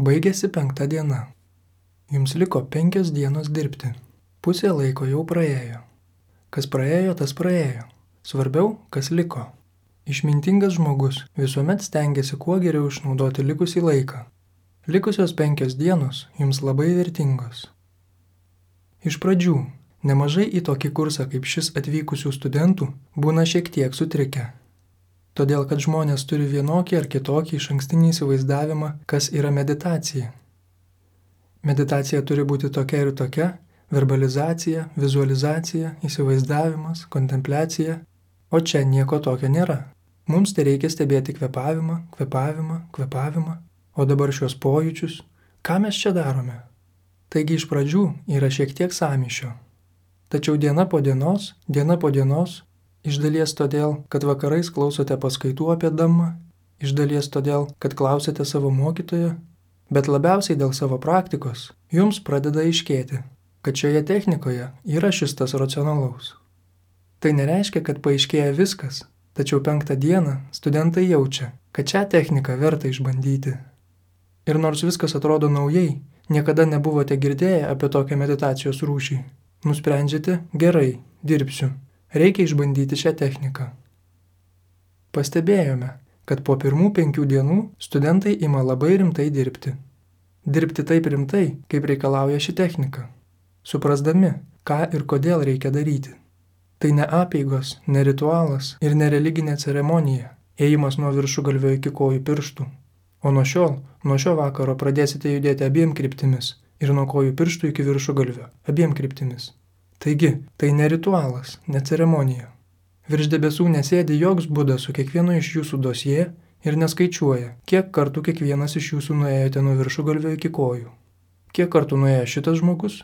Baigėsi 5 diena. Jums liko 5 dienos dirbti. Pusė laiko jau praėjo. Kas praėjo, tas praėjo. Svarbiau, kas liko. Išmintingas žmogus visuomet stengiasi kuo geriau išnaudoti likusį laiką. Likusios 5 dienos jums labai vertingos. Iš pradžių, nemažai į tokį kursą kaip šis atvykusių studentų būna šiek tiek sutrikę. Todėl, kad žmonės turi vienokį ar kitokį išankstinį įsivaizdavimą, kas yra meditacija. Meditacija turi būti tokia ir tokia, verbalizacija, vizualizacija, įsivaizdavimas, kontempliacija, o čia nieko tokio nėra. Mums tai reikia stebėti kvėpavimą, o dabar šios pojūčius, ką mes čia darome? Taigi iš pradžių yra šiek tiek sąmyšio. Tačiau diena po dienos, iš dalies todėl, kad vakarais klausote paskaitų apie Dhammą, iš dalies todėl, kad klausėte savo mokytojo, bet labiausiai dėl savo praktikos, jums pradeda aiškėti, kad šioje technikoje yra šis tas racionalaus. Tai nereiškia, kad paaiškėja viskas, tačiau 5 dieną studentai jaučia, kad šią techniką verta išbandyti. Ir nors viskas atrodo naujai, niekada nebuvote girdėję apie tokią meditacijos rūšį, nusprendžiate, gerai, dirbsiu. Reikia išbandyti šią techniką. Pastebėjome, kad po pirmų 5 dienų studentai ima labai rimtai dirbti. Dirbti taip rimtai, kaip reikalauja ši technika, suprasdami, ką ir kodėl reikia daryti. Tai ne apeigos, ne ritualas ir ne religinė ceremonija, ėjimas nuo viršugalvio iki kojų pirštų. O nuo šio vakaro pradėsite judėti abiem kryptimis ir nuo kojų pirštų iki viršugalvio, abiem kryptimis. Taigi, tai ne ritualas, ne ceremonija. Virš debesų nesėdi joks Buda su kiekvienu iš jūsų dosie ir neskaičiuoja, kiek kartų kiekvienas iš jūsų nuėjote nuo viršugalvio iki kojų. Kiek kartų nuėjo šitas žmogus?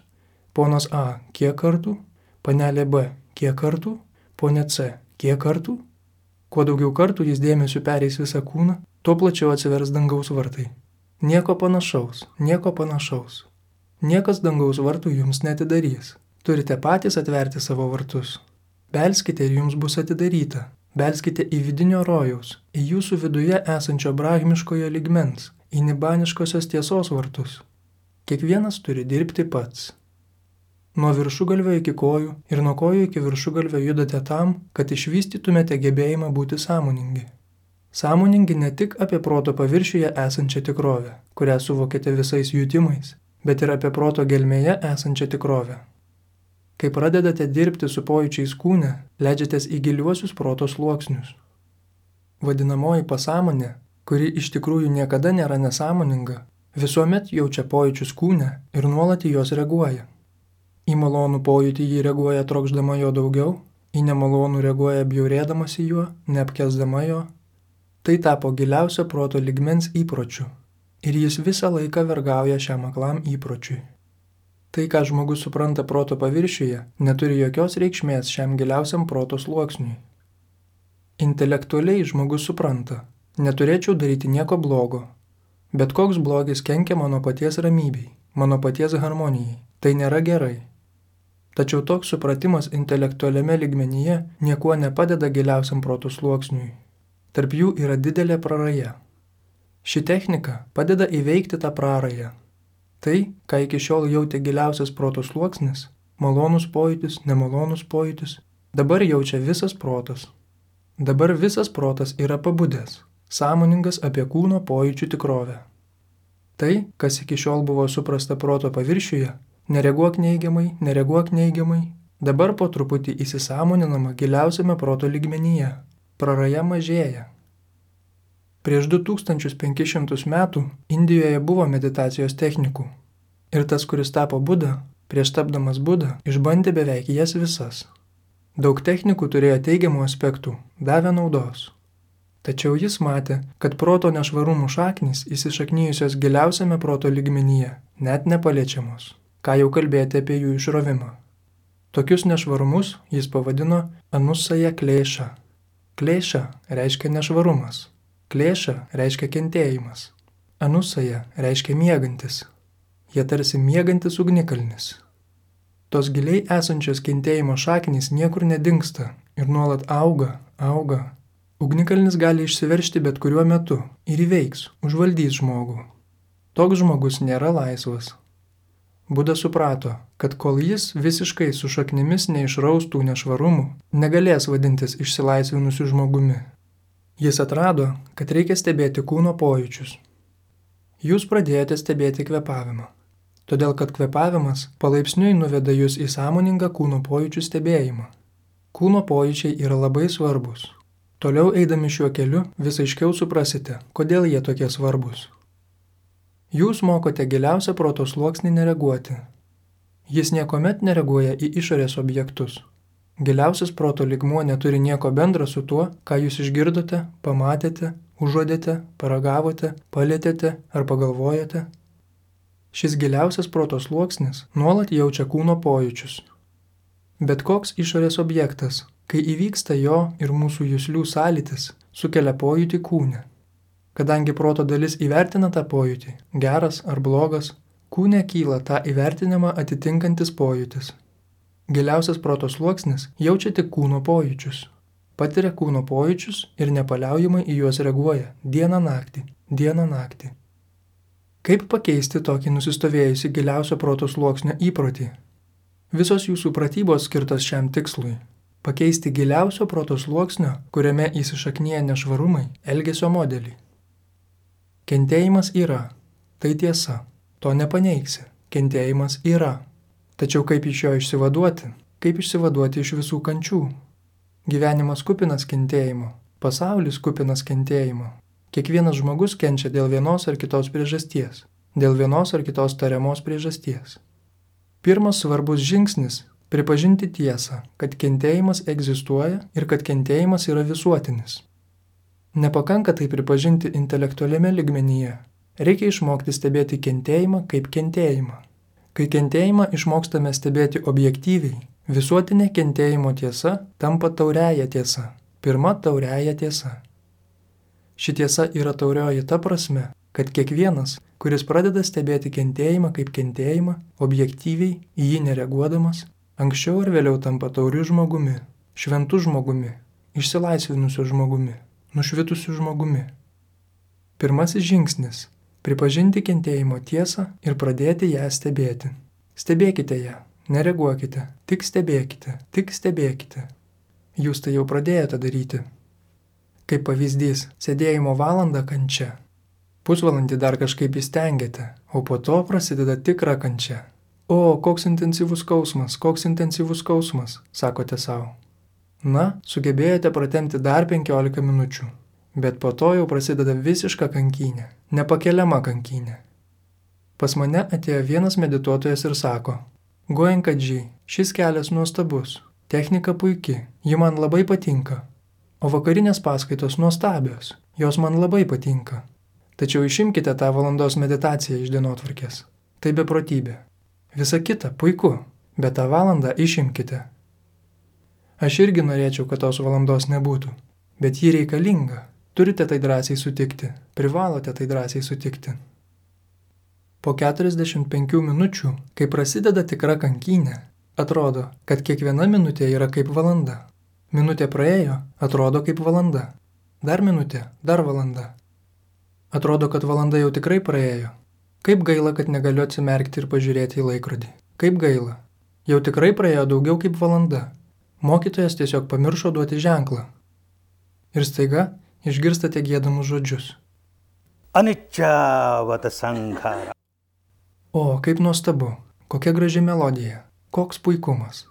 Ponas A, kiek kartų? Panelė B, kiek kartų? Ponė C, kiek kartų? Kuo daugiau kartų jis dėmesiu pereis visą kūną, tuo plačiau atsivers dangaus vartai. Nieko panašaus. Niekas dangaus vartų jums neatidarys. Turite patys atverti savo vartus. Belskite ir jums bus atidaryta. Belskite į vidinio rojaus, į jūsų viduje esančio brahmiškojo lygmens, į nibaniškosios tiesos vartus. Kiekvienas turi dirbti pats. Nuo viršugalvio iki kojų ir nuo kojų iki viršugalvio judate tam, kad išvystytumėte gebėjimą būti sąmoningi. Sąmoningi ne tik apie proto paviršiuje esančią tikrovę, kurią suvokėte visais jutimais, bet ir apie proto gelmėje esančią tikrovę. Kai pradedate dirbti su pojūčiais kūne, leidžiatės į giliuosius proto sluoksnius. Vadinamoji pasąmonė, kuri iš tikrųjų niekada nėra nesąmoninga, visuomet jaučia pojūčius kūne ir nuolat į juos reaguoja. Į malonų pojūtį jį reaguoja trokšdama jo daugiau, į nemalonų reaguoja bjaurėdamasi juo, neapkęsdama jo. Tai tapo giliausio proto lygmens įpročiu ir jis visą laiką vergauja šiam aklam įpročiui. Tai, ką žmogus supranta proto paviršiuje, neturi jokios reikšmės šiam giliausiam proto sluoksniui. Intelektualiai žmogus supranta, neturėčiau daryti nieko blogo, bet koks blogis kenkia mano paties ramybei, mano paties harmonijai, tai nėra gerai. Tačiau toks supratimas intelektualiame lygmenyje niekuo nepadeda giliausiam proto sluoksniui. Tarp jų yra didelė praraja. Ši technika padeda įveikti tą prarają. Tai, ką iki šiol jautė giliausias proto sluoksnis, malonus pojūtis, nemalonus pojūtis, dabar jaučia visas protas. Dabar visas protas yra pabudęs, sąmoningas apie kūno pojūčių tikrovę. Tai, kas iki šiol buvo suprasta proto paviršiuje, nereaguok neigiamai, dabar po truputį įsisąmoninama giliausiame proto lygmenyje, praraja mažėja. Prieš 2500 metų Indijoje buvo meditacijos technikų. Ir tas, kuris tapo Buda, prieš tapdamas Buda, išbandė beveik jas visas. Daug technikų turėjo teigiamų aspektų, davė naudos. Tačiau jis matė, kad proto nešvarumų šaknys įsišaknyjusios giliausiame proto lygmenyje, net nepaliečiamos. Ką jau kalbėti apie jų išrovimą. Tokius nešvarumus jis pavadino anusaja klėša. Klėša reiškia nešvarumas. Klėša reiškia kentėjimas. Anusaja reiškia miegantis. Jie tarsi miegantis ugnikalnis. Tos giliai esančios kentėjimo šaknys niekur nedingsta ir nuolat auga. Ugnikalnis gali išsiveržti bet kuriuo metu ir įveiks, užvaldys žmogų. Toks žmogus nėra laisvas. Buda suprato, kad kol jis visiškai su šaknimis neišraustų nešvarumų, negalės vadintis išsilaisvinusiu žmogumi. Jis atrado, kad reikia stebėti kūno pojūčius. Jūs pradėjote stebėti kvėpavimą, todėl kad kvėpavimas palaipsniui nuveda jūs į sąmoningą kūno pojūčių stebėjimą. Kūno pojūčiai yra labai svarbus. Toliau eidami šiuo keliu vis aiškiau suprasite, kodėl jie tokie svarbus. Jūs mokote giliausią proto sluoksnį nereaguoti. Jis niekuomet nereaguoja į išorės objektus. Giliausias proto lygmuo neturi nieko bendra su tuo, ką jūs išgirdote, pamatėte, užuodėte, paragavote, palietėte ar pagalvojote. Šis giliausias proto sluoksnis nuolat jaučia kūno pojūčius. Bet koks išorės objektas, kai įvyksta jo ir mūsų juslių sąlytis, sukelia pojūtį kūne. Kadangi proto dalis įvertina tą pojūtį, geras ar blogas, kūne kyla tą įvertinimą atitinkantis pojūtis. Giliausias proto sluoksnis jaučia tik kūno pojūčius. Patiria kūno pojūčius ir nepaliaujamai į juos reaguoja dieną naktį. Kaip pakeisti tokį nusistovėjusi giliausio proto sluoksnio įprotį? Visos jūsų pratybos skirtos šiam tikslui. Pakeisti giliausio proto sluoksnio, kuriame įsišaknyja nešvarumai, elgesio modelį. Kentėjimas yra. Tai tiesa. To nepaneigsi. Kentėjimas yra. Tačiau kaip iš jo išsivaduoti? Kaip išsivaduoti iš visų kančių? Gyvenimas kupinas kentėjimo. Pasaulis kupinas kentėjimo. Kiekvienas žmogus kenčia dėl vienos ar kitos priežasties. Dėl vienos ar kitos tariamos priežasties. Pirmas svarbus žingsnis – pripažinti tiesą, kad kentėjimas egzistuoja ir kad kentėjimas yra visuotinis. Nepakanka tai pripažinti intelektualiame lygmenyje. Reikia išmokti stebėti kentėjimą kaip kentėjimą. Kai kentėjimą išmokstame stebėti objektyviai, visuotinė kentėjimo tiesa tampa tauriąja tiesa. Pirma tauriąja tiesa. Ši tiesa yra taurioji ta prasme, kad kiekvienas, kuris pradeda stebėti kentėjimą kaip kentėjimą, objektyviai, į jį nereaguodamas, anksčiau ar vėliau tampa tauriu žmogumi, šventu žmogumi, išsilaisvinusiu žmogumi, nušvitusiu žmogumi. Pirmasis žingsnis – pripažinti kentėjimo tiesą ir pradėti ją stebėti. Stebėkite ją, nereaguokite, tik stebėkite. Jūs tai jau pradėjote daryti. Kaip pavyzdys, sėdėjimo valandą kančia. Pusvalandį dar kažkaip įstengiate, o po to prasideda tikra kančia. O, koks intensyvus skausmas, sakote savo. Na, sugebėjote pratempti dar 15 minučių, bet po to jau prasideda visiška kankynė, nepakeliama kankynė. Pas mane atėjo vienas medituotojas ir sako, Goenkadži, šis kelias nuostabus, technika puiki, ji man labai patinka, o vakarinės paskaitos nuostabios, jos man labai patinka. Tačiau išimkite tą valandos meditaciją iš dienotvarkės. Tai beprotybė. Visa kita puiku, bet tą valandą išimkite. Aš irgi norėčiau, kad tos valandos nebūtų, bet ji reikalinga. Turite tai drąsiai sutikti, privalote tai drąsiai sutikti. Po 45 minučių, kai prasideda tikra kankynė, atrodo, kad kiekviena minutė yra kaip valanda. Minutė praėjo, atrodo kaip valanda. Dar minutė, dar valanda. Atrodo, kad valanda jau tikrai praėjo. Kaip gaila, kad negaliu atsimerkti ir pažiūrėti į laikrodį. Kaip gaila. Jau tikrai praėjo daugiau kaip valanda. Mokytojas tiesiog pamiršo duoti ženklą. Ir staiga išgirstate giedamus žodžius. Anicca sankhara. O, kaip nuostabu. Kokia graži melodija. Koks puikumas.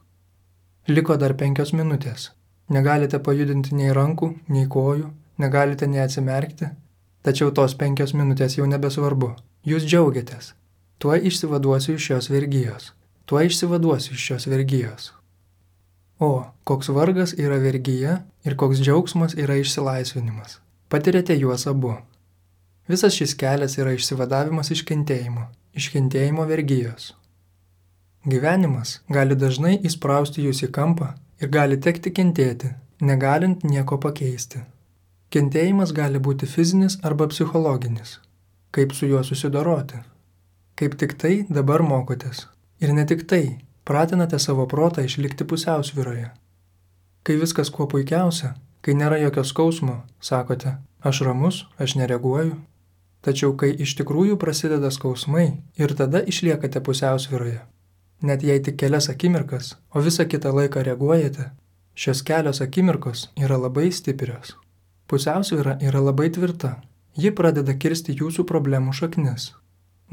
Liko dar 5 minutės. Negalite pajudinti nei rankų, nei kojų, negalite nei atsimerkti. Tačiau tos 5 minutės jau nebesvarbu. Jūs džiaugiatės. Tuoj išsivaduosiu iš šios vergijos. O, koks vargas yra vergyje ir koks džiaugsmas yra išsilaisvinimas. Patirėte juos abu. Visas šis kelias yra išsivadavimas iš kentėjimo vergijos. Gyvenimas gali dažnai įsprausti jūs į kampą ir gali tekti kentėti, negalint nieko pakeisti. Kentėjimas gali būti fizinis arba psichologinis. Kaip su juo susidoroti? Kaip tik tai dabar mokotės. Ir ne tik tai, pratinate savo protą išlikti pusiausvyroje. Kai viskas kuo puikiausia, kai nėra jokio skausmo, sakote, aš ramus, aš nereaguoju. Tačiau kai iš tikrųjų prasideda skausmai ir tada išliekate pusiausvyroje, net jei tik kelias akimirkas, o visą kitą laiką reaguojate, šios kelios akimirkos yra labai stiprios. Pusiausvyra yra labai tvirta, ji pradeda kirsti jūsų problemų šaknis.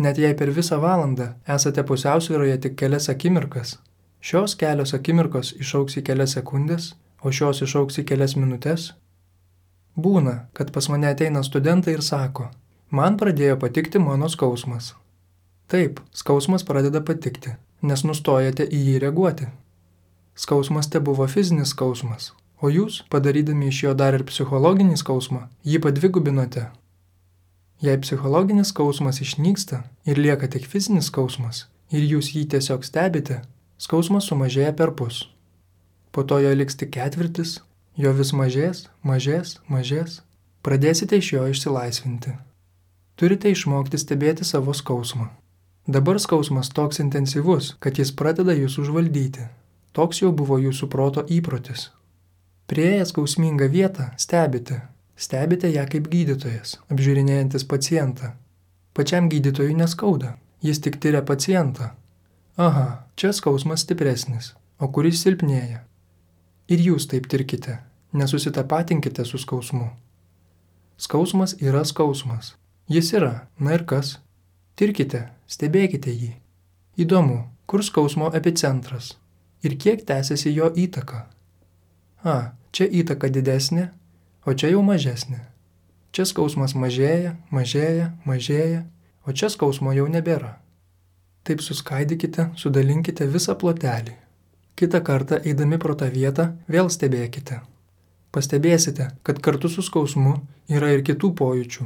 Net jei per visą valandą esate pusiausvyroje tik kelias akimirkas, šios kelios akimirkos išaugs į kelias sekundės, o šios išaugs į kelias minutės. Būna, kad pas mane ateina studentai ir sako, man pradėjo patikti mano skausmas. Taip, skausmas pradeda patikti, nes nustojate į jį reaguoti. Skausmas te buvo fizinis skausmas, o jūs, padarydami iš jo dar ir psichologinį skausmą, jį padvigubinote. Jei psichologinis skausmas išnyksta ir lieka tik fizinis skausmas, ir jūs jį tiesiog stebite, skausmas sumažėja perpus. Po to jo liks tik ketvirtis, jo vis mažės, mažės, mažės, pradėsite iš jo išsilaisvinti. Turite išmokti stebėti savo skausmą. Dabar skausmas toks intensyvus, kad jis pradeda jūs užvaldyti. Toks jau buvo jūsų proto įprotis. Prieėję skausmingą vietą stebite. Stebite ją kaip gydytojas, apžiūrinėjantis pacientą. Pačiam gydytojui neskauda, jis tik tiria pacientą. Aha, čia skausmas stipresnis, o kuris silpnėja. Ir jūs taip tirkite, nesusitapatinkite su skausmu. Skausmas yra skausmas. Jis yra, na ir kas? Tirkite, stebėkite jį. Įdomu, kur skausmo epicentras ir kiek tęsiasi jo įtaka. Čia įtaka didesnė, o čia jau mažesnė. Čia skausmas mažėja, mažėja, mažėja, o čia skausmo jau nebėra. Taip suskaidykite, sudalinkite visą plotelį. Kitą kartą eidami pro tą vietą vėl stebėkite. Pastebėsite, kad kartu su skausmu yra ir kitų pojūčių.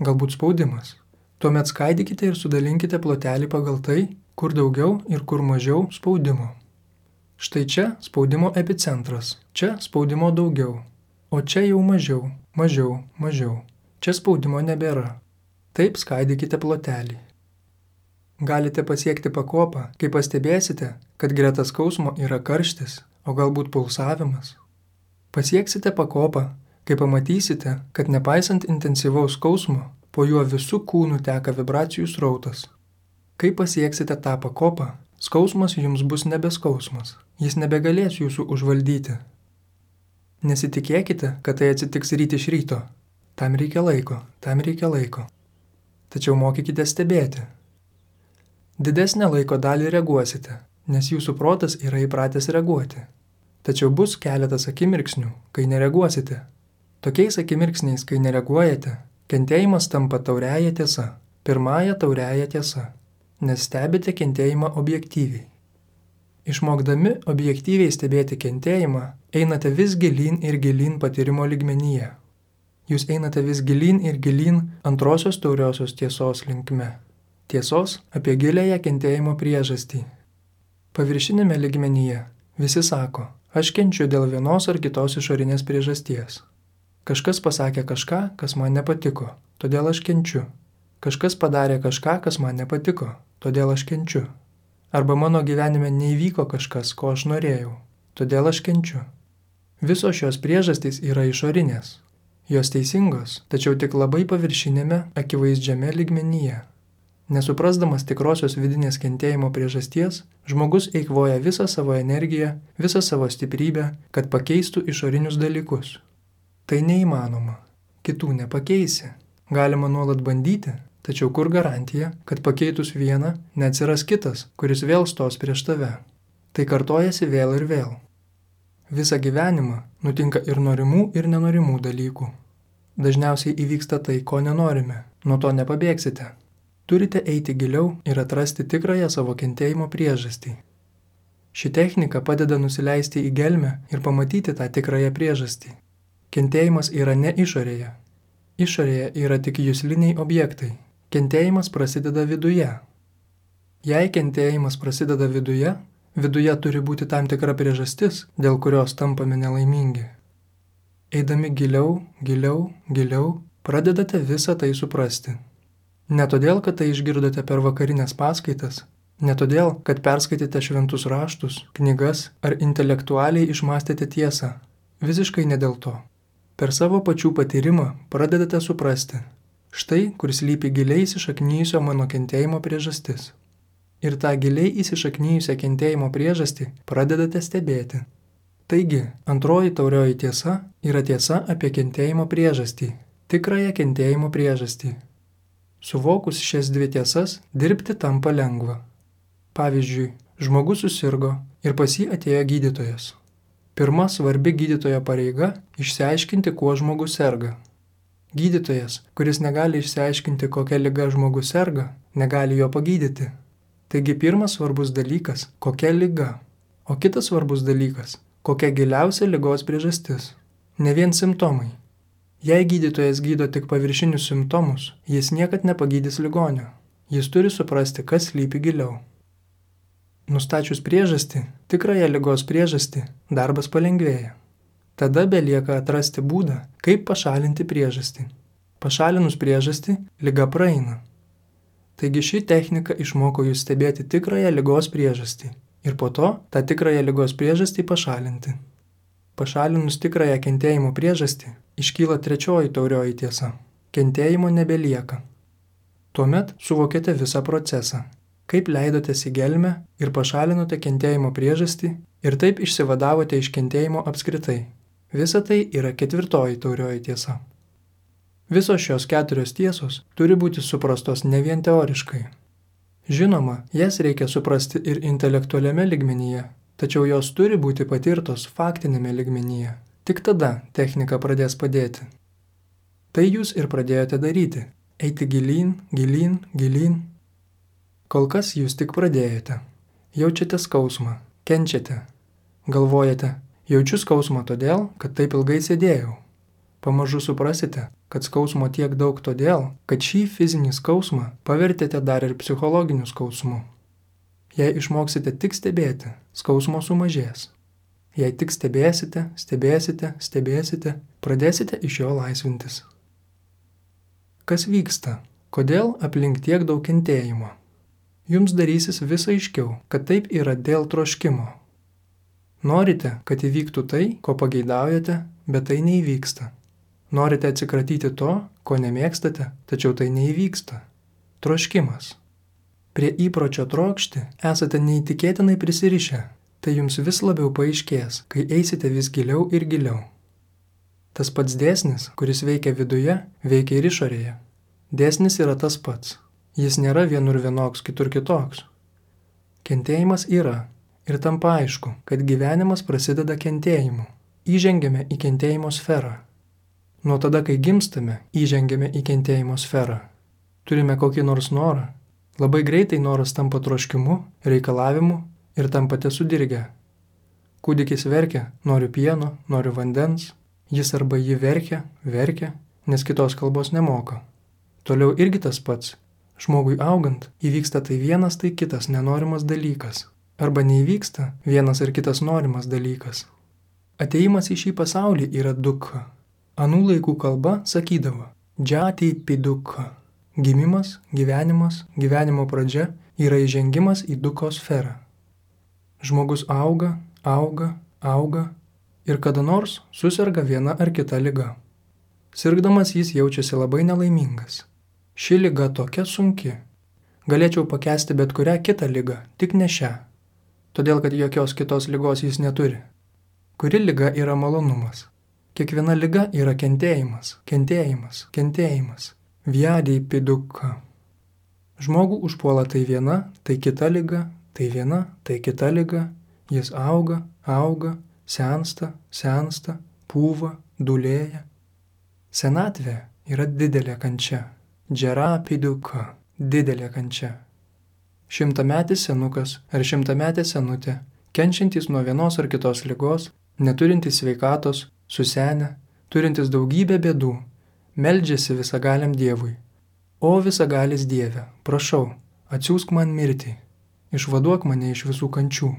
Galbūt spaudimas. Tuomet skaidykite ir sudalinkite plotelį pagal tai, kur daugiau ir kur mažiau spaudimo. Štai čia spaudimo epicentras, čia spaudimo daugiau, o čia jau mažiau, mažiau, mažiau. Čia spaudimo nebėra. Taip skaidykite plotelį. Galite pasiekti pakopą, kai pastebėsite, kad greta skausmo yra karštis, o galbūt pulsavimas. Pasieksite pakopą, kai pamatysite, kad nepaisant intensyvaus skausmo, po juo visų kūnų teka vibracijų srautas. Kai pasieksite tą pakopą, skausmas jums bus nebeskausmas, jis nebegalės jūsų užvaldyti. Nesitikėkite, kad tai atsitiks ryt iš ryto. Tam reikia laiko. Tačiau mokykite stebėti. Didesnę laiko dalį reaguosite, nes jūsų protas yra įpratęs reaguoti. Tačiau bus keletas akimirksnių, kai nereaguosite. Tokiais akimirksniais, kai nereaguojate, kentėjimas tampa tauriąja tiesa, pirmąja tauriąja tiesa, nes stebite kentėjimą objektyviai. Išmokdami objektyviai stebėti kentėjimą, einate vis gilyn ir gilyn patyrimo lygmenyje. Jūs einate vis gilyn ir gilyn antrosios tauriosios tiesos linkme. Tiesos apie giliąją kentėjimo priežastį. Paviršinėme lygmenyje visi sako, aš kenčiu dėl vienos ar kitos išorinės priežasties. Kažkas pasakė kažką, kas man nepatiko, todėl aš kenčiu. Kažkas padarė kažką, kas man nepatiko, todėl aš kenčiu. Arba mano gyvenime neįvyko kažkas, ko aš norėjau, todėl aš kenčiu. Visos šios priežastys yra išorinės. Jos teisingos, tačiau tik labai paviršinėme, akivaizdžiame lygmenyje. Nesuprasdamas tikrosios vidinės kentėjimo priežasties, žmogus eikvoja visą savo energiją, visą savo stiprybę, kad pakeistų išorinius dalykus. Tai neįmanoma. Kitų nepakeisi. Galima nuolat bandyti, tačiau kur garantija, kad pakeitus vieną, neatsiras kitas, kuris vėl stos prieš tave. Tai kartojasi vėl ir vėl. Visą gyvenimą nutinka ir norimų, ir nenorimų dalykų. Dažniausiai įvyksta tai, ko nenorime. Nuo to nepabėgsite. Turite eiti giliau ir atrasti tikrąją savo kentėjimo priežastį. Ši technika padeda nusileisti į gelmę ir pamatyti tą tikrąją priežastį. Kentėjimas yra ne išorėje. Išorėje yra tik jusliniai objektai. Kentėjimas prasideda viduje. Jei kentėjimas prasideda viduje, viduje turi būti tam tikra priežastis, dėl kurios tampame nelaimingi. Eidami giliau, pradedate visą tai suprasti. Ne todėl, kad tai išgirdote per vakarinės paskaitas, ne todėl, kad perskaitėte šventus raštus, knygas ar intelektualiai išmastėte tiesą. Visiškai ne dėl to. Per savo pačių patyrimą pradedate suprasti. Štai, kur slypi giliai įsišaknyjusio mano kentėjimo priežastis. Ir tą giliai įsišaknyjusią kentėjimo priežastį pradedate stebėti. Taigi, antroji taurioji tiesa yra tiesa apie kentėjimo priežastį, tikrąją kentėjimo priežastį. Suvokus šias dvi tiesas, dirbti tampa lengva. Pavyzdžiui, žmogus susirgo ir pas jį atėjo gydytojas. Pirma svarbi gydytojo pareiga – išsiaiškinti, kuo žmogus serga. Gydytojas, kuris negali išsiaiškinti, kokia liga žmogus serga, negali jo pagydyti. Taigi pirmas svarbus dalykas – kokia liga, o kitas svarbus dalykas – kokia giliausia ligos priežastis. Ne vien simptomai. Jei gydytojas gydo tik paviršinius simptomus, jis niekad nepagydys ligonio. Jis turi suprasti, kas slypi giliau. Nustačius priežastį, tikrąją ligos priežastį, darbas palengvėja. Tada belieka atrasti būdą, kaip pašalinti priežastį. Pašalinus priežastį, liga praeina. Taigi ši technika išmoko jūs stebėti tikrąją ligos priežastį ir po to tą tikrąją ligos priežastį pašalinti. Pašalinus tikrąją kentėjimo priežastį, iškyla trečioji taurioji tiesa. Kentėjimo nebelieka. Tuomet suvokėte visą procesą, kaip leidotės į gelmę ir pašalinote kentėjimo priežastį ir taip išsivadavote iš kentėjimo apskritai. Visa tai yra ketvirtoji taurioji tiesa. Visos šios keturios tiesos turi būti suprastos ne vien teoriškai. Žinoma, jas reikia suprasti ir intelektualiame lygmenyje, tačiau jos turi būti patirtos faktinėme lygmenyje. Tik tada technika pradės padėti. Tai jūs ir pradėjote daryti. Eiti gilyn, gilyn, gilyn. Kol kas jūs tik pradėjote. Jaučiate skausmą, kenčiate. Galvojate, jaučiu skausmą todėl, kad taip ilgai sėdėjau. Pamažu suprasite, kad skausmo tiek daug todėl, kad šį fizinį skausmą pavertėte dar ir psichologiniu skausmu. Jei išmoksite tik stebėti, skausmo sumažės. Jei tik stebėsite, pradėsite iš jo laisvintis. Kas vyksta? Kodėl aplink tiek daug kentėjimo? Jums darysis vis aiškiau, kad taip yra dėl troškimo. Norite, kad įvyktų tai, ko pageidaujate, bet tai neįvyksta. Norite atsikratyti to, ko nemėgstate, tačiau tai neįvyksta. Troškimas. Prie įpročio trokšti esate neįtikėtinai prisirišę. Tai jums vis labiau paaiškės, kai eisite vis giliau ir giliau. Tas pats dėsnis, kuris veikia viduje, veikia ir išorėje. Dėsnis yra tas pats. Jis nėra vienur vienoks, kitur kitoks. Kentėjimas yra ir tampa aišku, kad gyvenimas prasideda kentėjimu. Įžengiame į kentėjimo sferą. Nuo tada, kai gimstame, įžengiame į kentėjimo sferą. Turime kokį nors norą. Labai greitai noras tampa troškimu, reikalavimu ir tampate sudirgę. Kūdikis verkia, noriu pieno, noriu vandens. Jis arba jį verkia, nes kitos kalbos nemoka. Toliau irgi tas pats. Žmogui augant įvyksta tai vienas, tai kitas nenorimas dalykas. Arba neįvyksta vienas ir kitas norimas dalykas. Atėjimas į šį pasaulį yra dukha. Anų laikų kalba sakydavo džati pidukha. Gimimas, gyvenimas, gyvenimo pradžia yra įžengimas į dukos sferą. Žmogus auga ir kada nors suserga viena ar kita liga. Sirgdamas jis jaučiasi labai nelaimingas. Ši liga tokia sunki. Galėčiau pakęsti bet kurią kitą ligą, tik ne šią. Todėl, kad jokios kitos ligos jis neturi. Kuri liga yra malonumas? Kiekviena liga yra kentėjimas. Vyadį pidukha. Žmogų užpuola tai viena, tai kita liga, tai viena, tai kita liga. Jis auga, sensta, pūva, dūlėja. Senatvė yra didelė kančia. Džera pidukha. Didelė kančia. 100-metis senukas ar 100-metė senutė, kenčiantys nuo vienos ar kitos ligos, neturintys sveikatos, susenę, turintys daugybę bėdų, meldžiasi visagaliam Dievui. O visagalis Dieve, prašau, atsiųsk man mirtį, išvaduok mane iš visų kančių.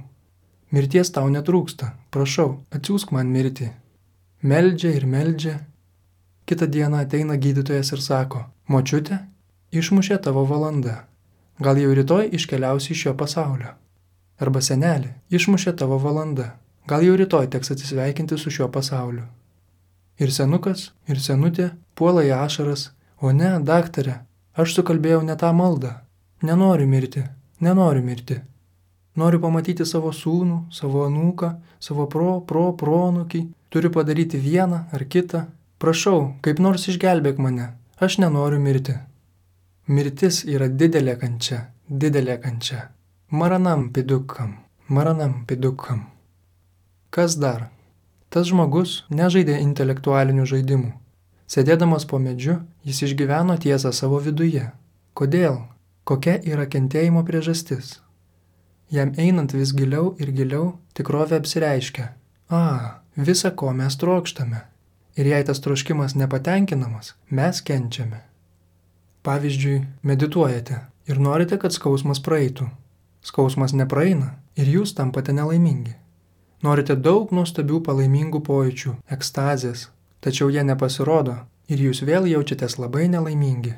Mirties tau netrūksta, prašau, atsiųsk man mirtį. Meldžia ir meldžia. Kitą dieną ateina gydytojas ir sako, močiute, išmušė tavo valanda. Gal jau rytoj iškeliausi iš šio pasaulio. Arba senelė, išmušė tavo valanda. Gal jau rytoj teks atsisveikinti su šiuo pasauliu. Ir senukas, ir senutė puola į ašaras, O ne, daktare, aš sukalbėjau ne tą maldą. Nenoriu mirti, nenoriu mirti. Noriu pamatyti savo sūnų, savo anūką, savo proanūkį. Turiu padaryti vieną ar kitą. Prašau, kaip nors išgelbėk mane. Aš nenoriu mirti. Mirtis yra didelė kančia, didelė kančia. Maranam pidukam, maranam pidukam. Kas dar? Tas žmogus nežaidė intelektualinių žaidimų. Sėdėdamas po medžiu, jis išgyveno tiesą savo viduje. Kodėl? Kokia yra kentėjimo priežastis? Jam einant vis giliau ir giliau, tikrovė apsireiškia. Visa ko mes trokštame. Ir jei tas troškimas nepatenkinamas, mes kenčiame. Pavyzdžiui, medituojate ir norite, kad skausmas praeitų. Skausmas nepraeina ir jūs tampate nelaimingi. Norite daug nuostabių palaimingų pojūčių, ekstazės, tačiau jie nepasirodo ir jūs vėl jaučiatės labai nelaimingi.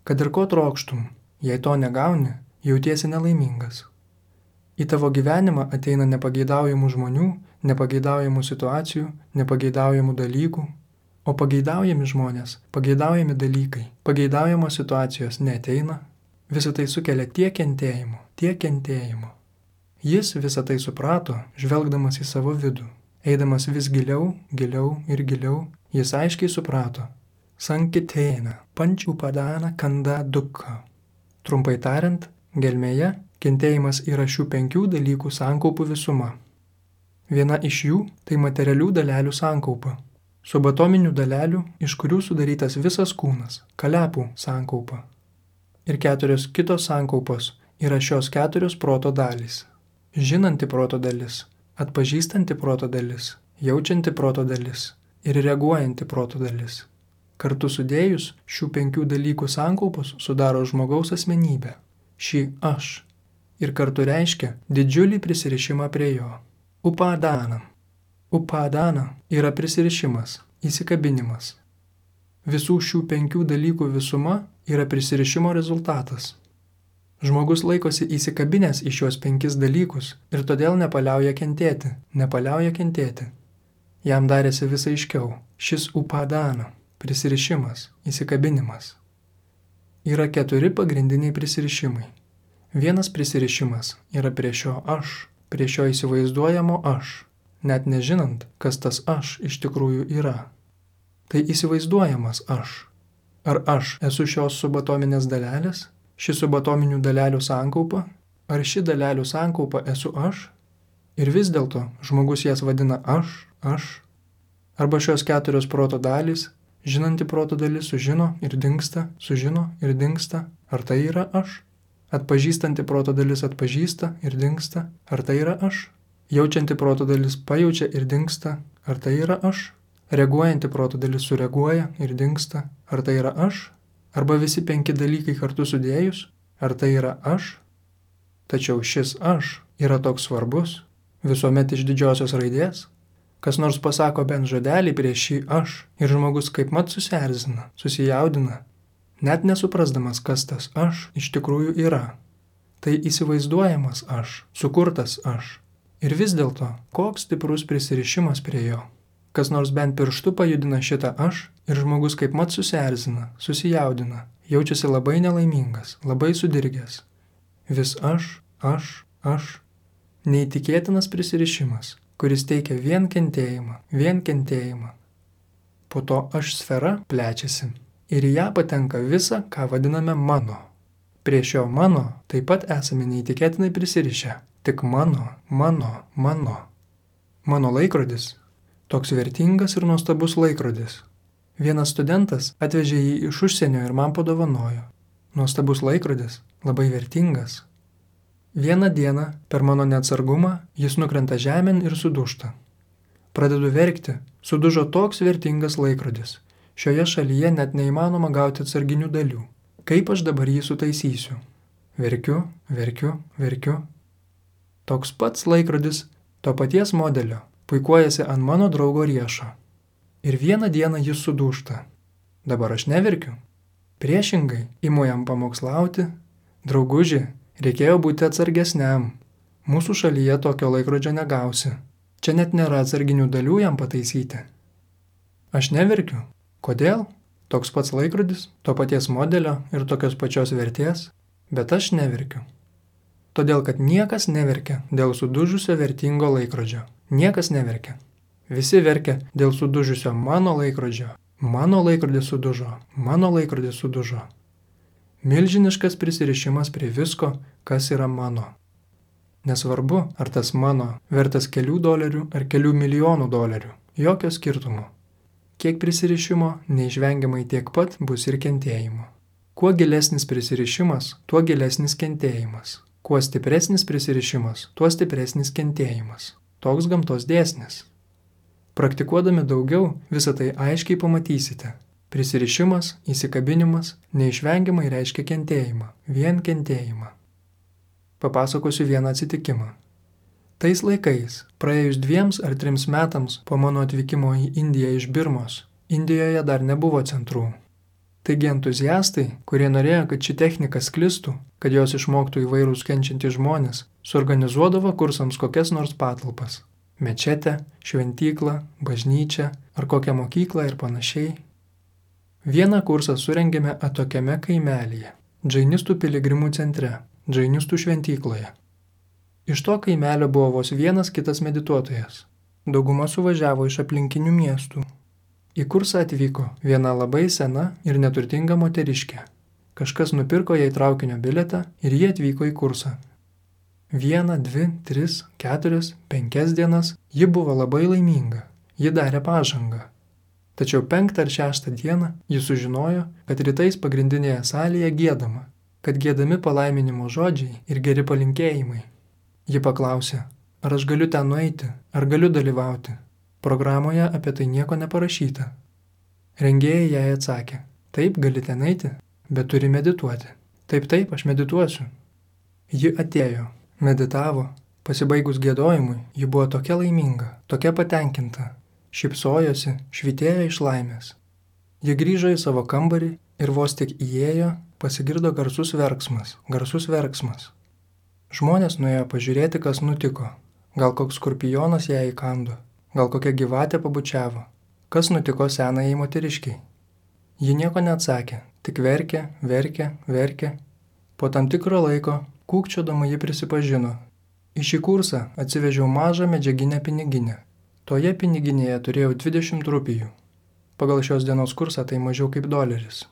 Kad ir ko trokštum, jei to negauni, jautiesi nelaimingas. Į tavo gyvenimą ateina nepageidaujamų žmonių, nepageidaujamų situacijų, nepageidaujamų dalykų, o pageidaujami žmonės, pageidaujami dalykai, pageidaujamos situacijos neateina. Visą tai sukelia tiek kentėjimo. Jis visą tai suprato, žvelgdamas į savo vidų. Eidamas vis giliau, giliau ir giliau, jis aiškiai suprato. Sankitena, pančiupadana kanda dukha. Trumpai tariant, gelmėje kentėjimas yra šių 5 dalykų sankaupų visuma. Viena iš jų tai materialių dalelių sankaupa. Subatominių dalelių, iš kurių sudarytas visas kūnas, kalepų sankaupa. Ir 4 kitos sankaupos yra šios 4 proto dalys. Žinanti proto dalis, atpažįstanti proto dalis, jaučianti proto dalis ir reaguojanti proto dalis. Kartu sudėjus šių 5 dalykų sankaupos sudaro žmogaus asmenybę, šį aš, ir kartu reiškia didžiulį prisirišimą prie jo. Upadana. Upadana yra prisirišimas, įsikabinimas. Visų šių 5 dalykų visuma yra prisirišimo rezultatas. Žmogus laikosi įsikabinęs į šios 5 dalykus ir todėl nepaliauja kentėti. Jam darėsi vis aiškiau, šis upadana, prisirišimas, įsikabinimas. Yra 4 pagrindiniai prisirišimai. Vienas prisirišimas yra prie šio aš, prie šio įsivaizduojamo aš, net nežinant, kas tas aš iš tikrųjų yra. Tai įsivaizduojamas aš. Ar aš esu šios subatominės dalelės? Ši subatominių dalelių sankaupa, ar ši dalelių sankaupa esu aš? Ir vis dėlto žmogus jas vadina aš. Arba šios 4 proto dalys, žinanti proto dalis sužino ir dingsta, ar tai yra aš? Atpažįstanti proto dalis atpažįsta ir dingsta, ar tai yra aš? Jaučianti proto dalis pajaučia ir dingsta, ar tai yra aš? Reaguojanti proto dalis sureaguoja ir dingsta, ar tai yra aš? Arba visi 5 dalykai kartu sudėjus, ar tai yra aš? Tačiau šis aš yra toks svarbus, visuomet iš didžiosios raidės. Kas nors pasako bent žodelį prieš šį aš ir žmogus kaipmat susierzina, susijaudina, net nesuprasdamas, kas tas aš iš tikrųjų yra. Tai įsivaizduojamas aš, sukurtas aš. Ir vis dėlto, koks stiprus prisirišimas prie jo. Kas nors bent pirštu pajudina šitą aš ir žmogus kaipmat susierzina, susijaudina, jaučiasi labai nelaimingas, labai sudirgęs. Vis aš. Neįtikėtinas prisirišimas, kuris teikia vien kentėjimą. Po to aš sfera plečiasi ir į ją patenka visa, ką vadiname mano. Prie šio mano taip pat esame neįtikėtinai prisirišę. Tik mano. Mano laikrodis. Toks vertingas ir nuostabus laikrodis. Vienas studentas atvežė jį iš užsienio ir man padovanojo. Nuostabus laikrodis, labai vertingas. Vieną dieną, per mano neatsargumą, jis nukrenta žemėn ir sudūžta. Pradedu verkti, sudužo toks vertingas laikrodis. Šioje šalyje net neįmanoma gauti atsarginių dalių. Kaip aš dabar jį sutaisysiu? Verkiu. Toks pats laikrodis, to paties modelio, puikuojasi ant mano draugo riešo. Ir vieną dieną jis sudūžta. Dabar aš neverkiu. Priešingai, imu jam pamokslauti. Drauguži, reikėjo būti atsargesniam. Mūsų šalyje tokio laikrodžio negausi. Čia net nėra atsarginių dalių jam pataisyti. Aš neverkiu. Kodėl? Toks pats laikrodis, to paties modelio ir tokios pačios vertės, bet aš neverkiu. Todėl, kad niekas neverkia dėl sudužusio vertingo laikrodžio. Niekas neverkia. Visi verkia dėl sudužusio mano laikrodžio. Mano laikrodis sudužo. Mano laikrodis sudužo. Milžiniškas prisirišimas prie visko, kas yra mano. Nesvarbu, ar tas mano vertas kelių dolerių ar kelių milijonų dolerių. Jokio skirtumo. Kiek prisirišimo, neišvengiamai tiek pat bus ir kentėjimo. Kuo gilesnis prisirišimas, tuo gilesnis kentėjimas. Kuo stipresnis prisirišimas, tuo stipresnis kentėjimas. Toks gamtos dėsnis. Praktikuodami daugiau, visą tai aiškiai pamatysite. Prisirišimas, įsikabinimas neišvengiamai reiškia kentėjimą, vien kentėjimą. Papasakosiu vieną atsitikimą. Tais laikais, praėjus 2 ar 3 metams po mano atvykimo į Indiją iš Birmos, Indijoje dar nebuvo centrų. Taigi entuziastai, kurie norėjo, kad ši technika sklistų, kad jos išmoktų įvairūs kenčiantys žmonės, suorganizuodavo kursams kokias nors patalpas – mečetę, šventyklą, bažnyčią ar kokią mokyklą ir panašiai. Vieną kursą surengėme atokiame kaimelyje, džainistų piligrimų centre, džainistų šventykloje. Iš to kaimelio buvo vos vienas kitas medituotojas. Dauguma suvažiavo iš aplinkinių miestų. Į kursą atvyko viena labai sena ir neturtinga moteriškė. Kažkas nupirko jai traukinio bilietą ir jie atvyko į kursą. 1, 2, 3, 4, 5 dienas ji buvo labai laiminga, ji darė pažangą. Tačiau 5 ar 6 dieną ji sužinojo, kad rytais pagrindinėje salėje giedama, kad giedami palaiminimo žodžiai ir geri palinkėjimai. Ji paklausė, ar aš galiu ten nueiti, ar galiu dalyvauti. Programoje apie tai nieko neparašyta. Rengėjai jai atsakė, taip gali ten eiti, bet turi medituoti. Taip, aš medituosiu. Ji atėjo, meditavo, pasibaigus giedojimui, ji buvo tokia laiminga, tokia patenkinta, šypsojosi, švytėjo iš laimės. Ji grįžo į savo kambarį ir vos tik įėjo, pasigirdo garsus verksmas. Žmonės nuėjo pažiūrėti, kas nutiko. Gal koks skorpionas ją įkando, gal kokia gyvatė pabučiavo. Kas nutiko senajai moteriškiai? Ji nieko neatsakė, tik verkė. Po tam tikro laiko, kūkčiodama ji prisipažino. Į šį kursą atsivežiau mažą medžiaginę piniginę. Toje piniginėje turėjau 20 rupijų. Pagal šios dienos kursą tai mažiau kaip $1.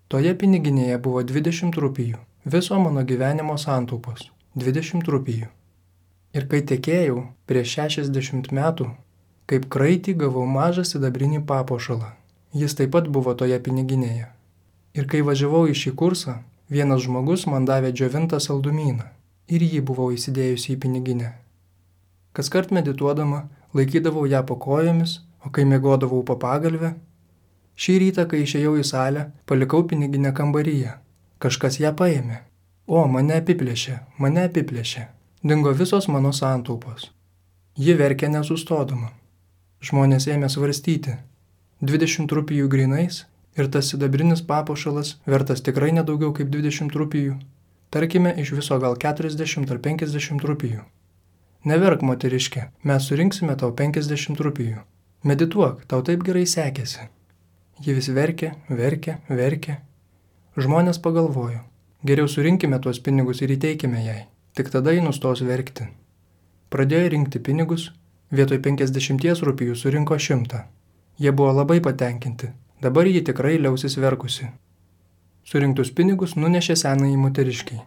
Toje piniginėje buvo 20 rupijų. Viso mano gyvenimo santaupos. 20 rupijų. Ir kai tekėjau prieš 60 metų, kaip kraitį gavau mažą sidabrinį papuošalą. Jis taip pat buvo toje piniginėje. Ir kai važiavau į šį kursą, vienas žmogus man davė džiovintą saldumyną ir jį buvau įsidėjusi į piniginę. Kaskart medituodama laikydavau ją po kojomis, o kai miegodavau po pagalvę, šį rytą, kai išėjau į salę, palikau piniginę kambaryje. Kažkas ją paėmė. O, mane apiplėšė. Dingo visos mano santaupos. Ji verkė nesustodama. Žmonės ėmė svarstyti. 20 rupijų grynais ir tas sidabrinis papuošalas vertas tikrai nedaugiau kaip 20 rupijų. Tarkime, iš viso gal 40 ar 50 rupijų. Neverk, moteriškė, mes surinksime tau 50 rupijų. Medituok, tau taip gerai sekėsi. Ji vis verkė. Žmonės pagalvojo. Geriau surinkime tuos pinigus ir įteikime jai. Tik tada ji nustos verkti. Pradėjo rinkti pinigus, vietoj 50 rupijų surinko 100. Jie buvo labai patenkinti. Dabar ji tikrai liausis verkusi. Surinktus pinigus nunešė senajai moteriškiai.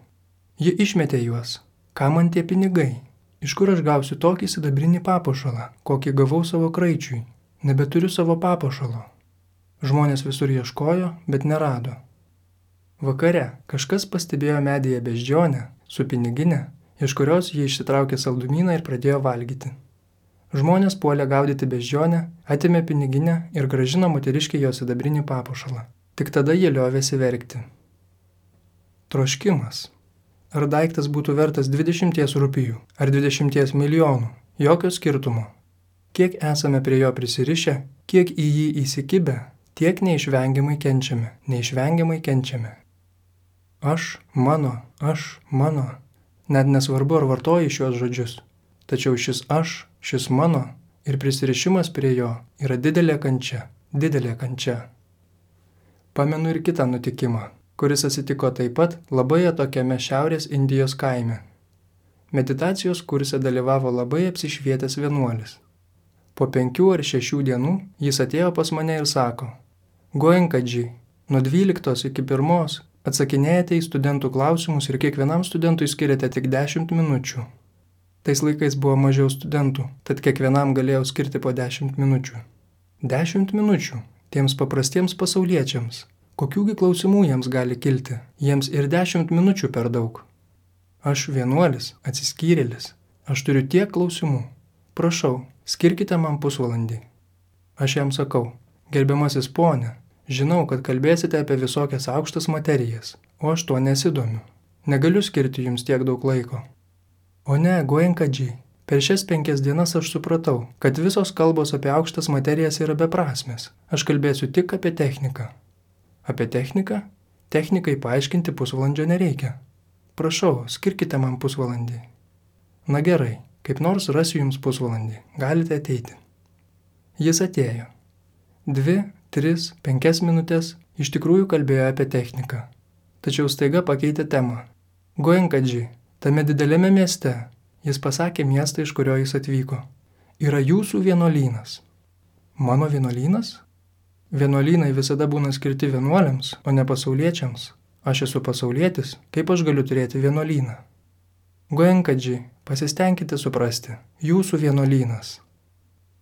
Ji išmetė juos. Ką man tie pinigai? Iš kur aš gausiu tokį sidabrinį papuošalą, kokį gavau savo kraičiui? Nebeturiu savo papuošalo. Žmonės visur ieškojo, bet nerado. Vakare kažkas pastebėjo medyje beždžionę su piniginė, iš kurios ji išsitraukė saldumyną ir pradėjo valgyti. Žmonės puolė gaudyti beždžionę, atėmė piniginę ir grąžino moteriškiai jos sidabrinį papuošalą. Tik tada jie liovėsi verkti. Troškimas. Ar daiktas būtų vertas 20 rupijų ar 20 milijonų? Jokio skirtumo. Kiek esame prie jo prisirišę, kiek į jį įsikibę, tiek neišvengiamai kenčiame. Aš, mano. Net nesvarbu, ar vartoji šios žodžius. Tačiau šis aš, šis mano ir prisirišimas prie jo yra didelė kančia. Pamenu ir kitą nutikimą, kuris atsitiko taip pat labai atokiame Šiaurės Indijos kaime. Meditacijos kurse dalyvavo labai apsišvietęs vienuolis. Po 5 ar 6 dienų jis atėjo pas mane ir sako: Goenkaji, nuo 12 iki 1 atsakinėjate į studentų klausimus ir kiekvienam studentui skiriate tik 10 minučių. Tais laikais buvo mažiau studentų, tad kiekvienam galėjau skirti po 10 minučių. 10 minučių tiems paprastiems pasauliečiams. Kokiųgi klausimų jiems gali kilti? Jiems ir 10 minučių per daug. Aš vienuolis, atsiskyrėlis. Aš turiu tiek klausimų. Prašau, skirkite man pusvalandį. Aš jam sakau: gerbiamasis pone, žinau, kad kalbėsite apie visokias aukštas materijas, o aš tuo nesidomiu. Negaliu skirti jums tiek daug laiko. O ne, Goenkaji, per šias 5 dienas aš supratau, kad visos kalbos apie aukštas materijas yra beprasmės. Aš kalbėsiu tik apie techniką. Apie techniką? Technikai paaiškinti pusvalandžio nereikia. Prašau, skirkite man pusvalandį. Na gerai, kaip nors rasiu jums pusvalandį. Galite ateiti. Jis atėjo. 2, 3, 5 minutės iš tikrųjų kalbėjo apie techniką. Tačiau staiga pakeitė temą. Goenkaji, tame didelėme mieste, jis pasakė miestą, iš kurio jis atvyko, yra jūsų vienuolynas. Mano vienuolynas? Vienuolynai visada būna skirti vienuoliams, o ne pasauliečiams. Aš esu pasaulietis, kaip aš galiu turėti vienuolyną? Goenkaji, pasistengkite suprasti, jūsų vienuolynas.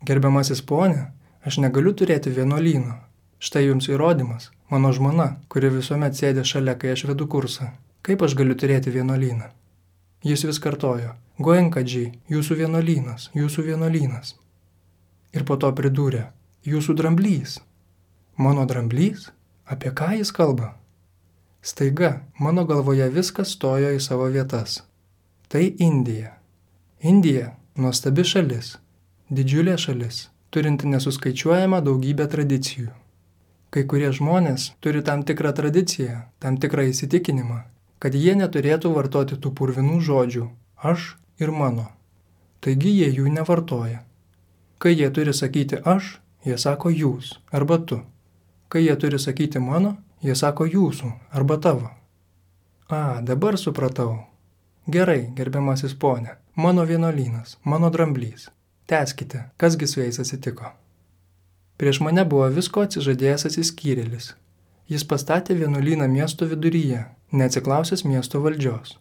Gerbiamasis pone, aš negaliu turėti vienuolyno. Štai jums įrodymas, mano žmona, kuri visuomet sėdė šalia, kai aš vedu kursą. Kaip aš galiu turėti vienuolyną? Jis vis kartojo: Goenkaji, jūsų vienuolynas, jūsų vienuolynas. Ir po to pridūrė: jūsų dramblys. Mano dramblys? Apie ką jis kalba? Staiga mano galvoje viskas stojo į savo vietas. Tai Indija. Indija – nuostabi šalis, didžiulė šalis, turinti nesuskaičiuojamą daugybę tradicijų. Kai kurie žmonės turi tam tikrą tradiciją, tam tikrą įsitikinimą, kad jie neturėtų vartoti tų purvinų žodžių aš ir mano. Taigi jie jų nevartoja. Kai jie turi sakyti aš, jie sako jūs arba tu. Kai jie turi sakyti mano, jie sako jūsų arba tavo. Dabar supratau. Gerai, gerbiamasis pone, mano vienuolynas, mano dramblys. Tęskite, kasgi su jais atsitiko. Prieš mane buvo visko atsižadėjęs atsiskyrėlis. Jis pastatė vienuolyną miesto viduryje, neatsiklausęs miesto valdžios.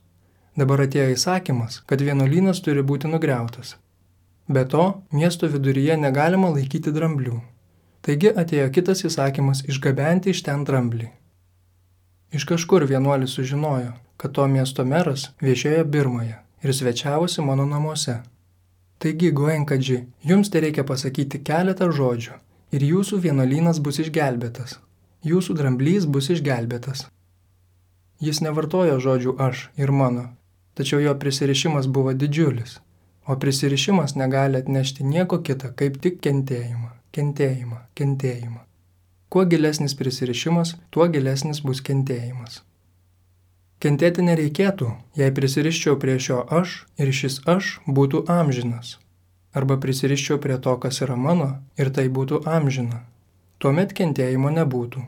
Dabar atėjo įsakymas, kad vienuolynas turi būti nugriautas. Be to, miesto viduryje negalima laikyti dramblių. Taigi atėjo kitas įsakymas išgabenti iš ten dramblį. Iš kažkur vienuolis sužinojo, kad to miesto meras viešėjo Birmoje ir svečiavosi mano namuose. Taigi, Goenkaji, jums tereikia pasakyti keletą žodžių ir jūsų vienuolynas bus išgelbėtas. Jūsų dramblys bus išgelbėtas. Jis nevartojo žodžių aš ir mano, tačiau jo prisirišimas buvo didžiulis, o prisirišimas negali atnešti nieko kita, kaip tik kentėjimą. Kentėjimą, kentėjimą. Kuo gilesnis prisirišimas, tuo gilesnis bus kentėjimas. Kentėti nereikėtų, jei prisiriščiau prie šio aš ir šis aš būtų amžinas. Arba prisiriščiau prie to, kas yra mano, ir tai būtų amžina. Tuomet kentėjimo nebūtų.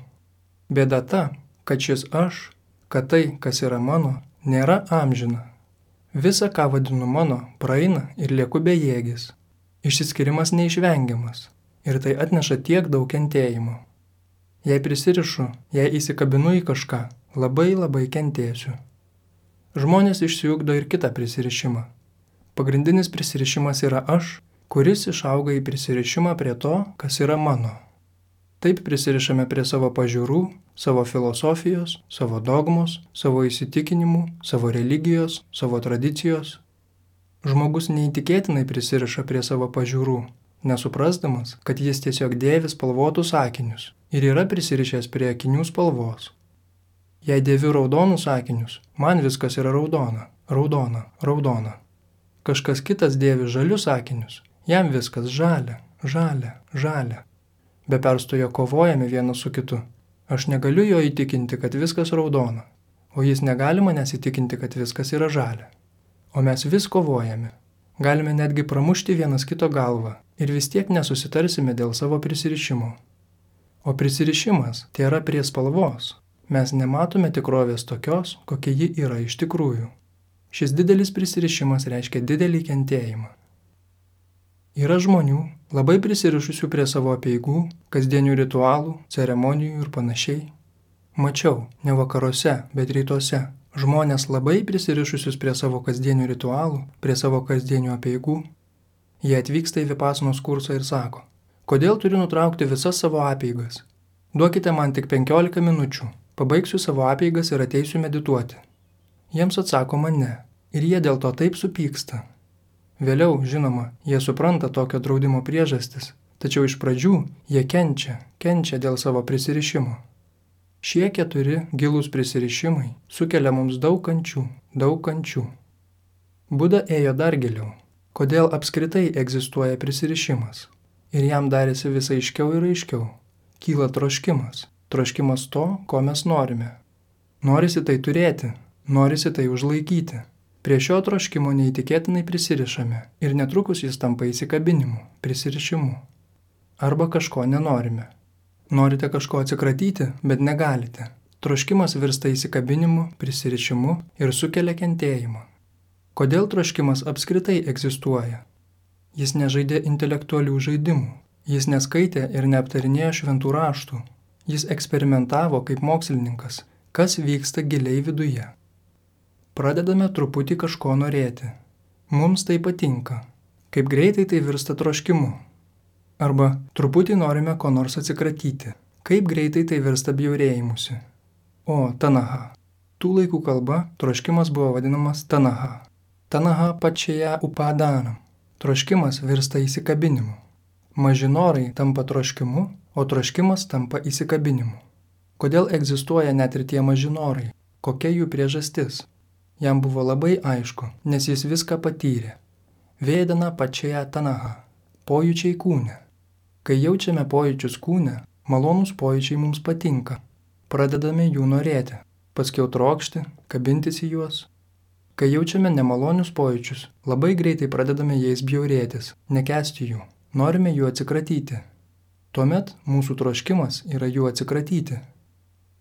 Bėda ta, kad šis aš, kad tai, kas yra mano, nėra amžina. Visa, ką vadinu mano, praeina ir lieku bejėgis. Išsiskirimas neišvengiamas. Ir tai atneša tiek daug kentėjimo. Jei prisirišu, jei įsikabinu į kažką, labai kentėsiu. Žmonės išsiugdo ir kitą prisirišimą. Pagrindinis prisirišimas yra aš, kuris išauga į prisirišimą prie to, kas yra mano. Taip prisirišame prie savo pažiūrų, savo filosofijos, savo dogmos, savo įsitikinimų, savo religijos, savo tradicijos. Žmogus neįtikėtinai prisiriša prie savo pažiūrų, nesuprasdamas, kad jis tiesiog dėvi spalvotus akinius ir yra prisirišęs prie akinių spalvos. Jei dėviu raudonus akinius, man viskas yra raudona, raudona, raudona. Kažkas kitas dėvi žalius akinius, jam viskas žalia, žalia, žalia. Be perstojo kovojame vienas su kitu. Aš negaliu jo įtikinti, kad viskas raudona, o jis negali manęs įtikinti, kad viskas yra žalia. O mes vis kovojame. Galime netgi pramušti vienas kito galvą ir vis tiek nesusitarsime dėl savo prisirišimo. O prisirišimas tėra prie spalvos. Mes nematome tikrovės tokios, kokia ji yra iš tikrųjų. Šis didelis prisirišimas reiškia didelį kentėjimą. Yra žmonių, labai prisirišusių prie savo apeigų, kasdienių ritualų, ceremonijų ir panašiai. Mačiau, ne vakaruose, bet rytuose, žmonės labai prisirišusius prie savo kasdienių ritualų, prie savo kasdienių apeigų. Jie atvyksta į vipasanos kursą ir sako, kodėl turiu nutraukti visas savo apeigas? Duokite man tik 15 minučių, pabaigsiu savo apeigas ir ateisiu medituoti. Jiems atsakoma ne, ir jie dėl to taip supyksta. Vėliau, žinoma, jie supranta tokio draudimo priežastis, tačiau iš pradžių jie kenčia dėl savo prisirišimo. Šie 4 gilūs prisirišimai sukelia mums daug kančių. Buda ėjo dar giliau. Kodėl apskritai egzistuoja prisirišimas? Ir jam darėsi vis aiškiau ir aiškiau. Kyla troškimas to, ko mes norime. Norisi tai turėti, norisi tai užlaikyti. Prie šio troškimo neįtikėtinai prisirišame ir netrukus jis tampa įsikabinimu, prisirišimu. Arba kažko nenorime. Norite kažko atsikratyti, bet negalite. Troškimas virsta įsikabinimu, prisirišimu ir sukelia kentėjimą. Kodėl troškimas apskritai egzistuoja? Jis nežaidė intelektualių žaidimų. Jis neskaitė ir neaptarinėjo šventų raštų. Jis eksperimentavo kaip mokslininkas, kas vyksta giliai viduje. Pradedame truputį kažko norėti. Mums tai patinka. Kaip greitai tai virsta troškimu. Arba truputį norime ko nors atsikratyti. Kaip greitai tai virsta bjaurėjimusi. O, tanaha. Tų laikų kalba troškimas buvo vadinamas tanaha. Tanaha pačia upadanam. Troškimas virsta įsikabinimu. Maži norai tampa troškimu, o troškimas tampa įsikabinimu. Kodėl egzistuoja net ir tie maži norai? Kokia jų priežastis? Jam buvo labai aišku, nes jis viską patyrė. Vėdana pačia tanaha. Pojūčiai kūne. Kai jaučiame pojūčius kūne, malonūs pojūčiai mums patinka. Pradedame jų norėti, paskiau trokšti, kabintis į juos. Kai jaučiame nemalonius pojūčius, labai greitai pradedame jais bjaurėtis, nekęsti jų. Norime jų atsikratyti. Tuomet mūsų troškimas yra jų atsikratyti.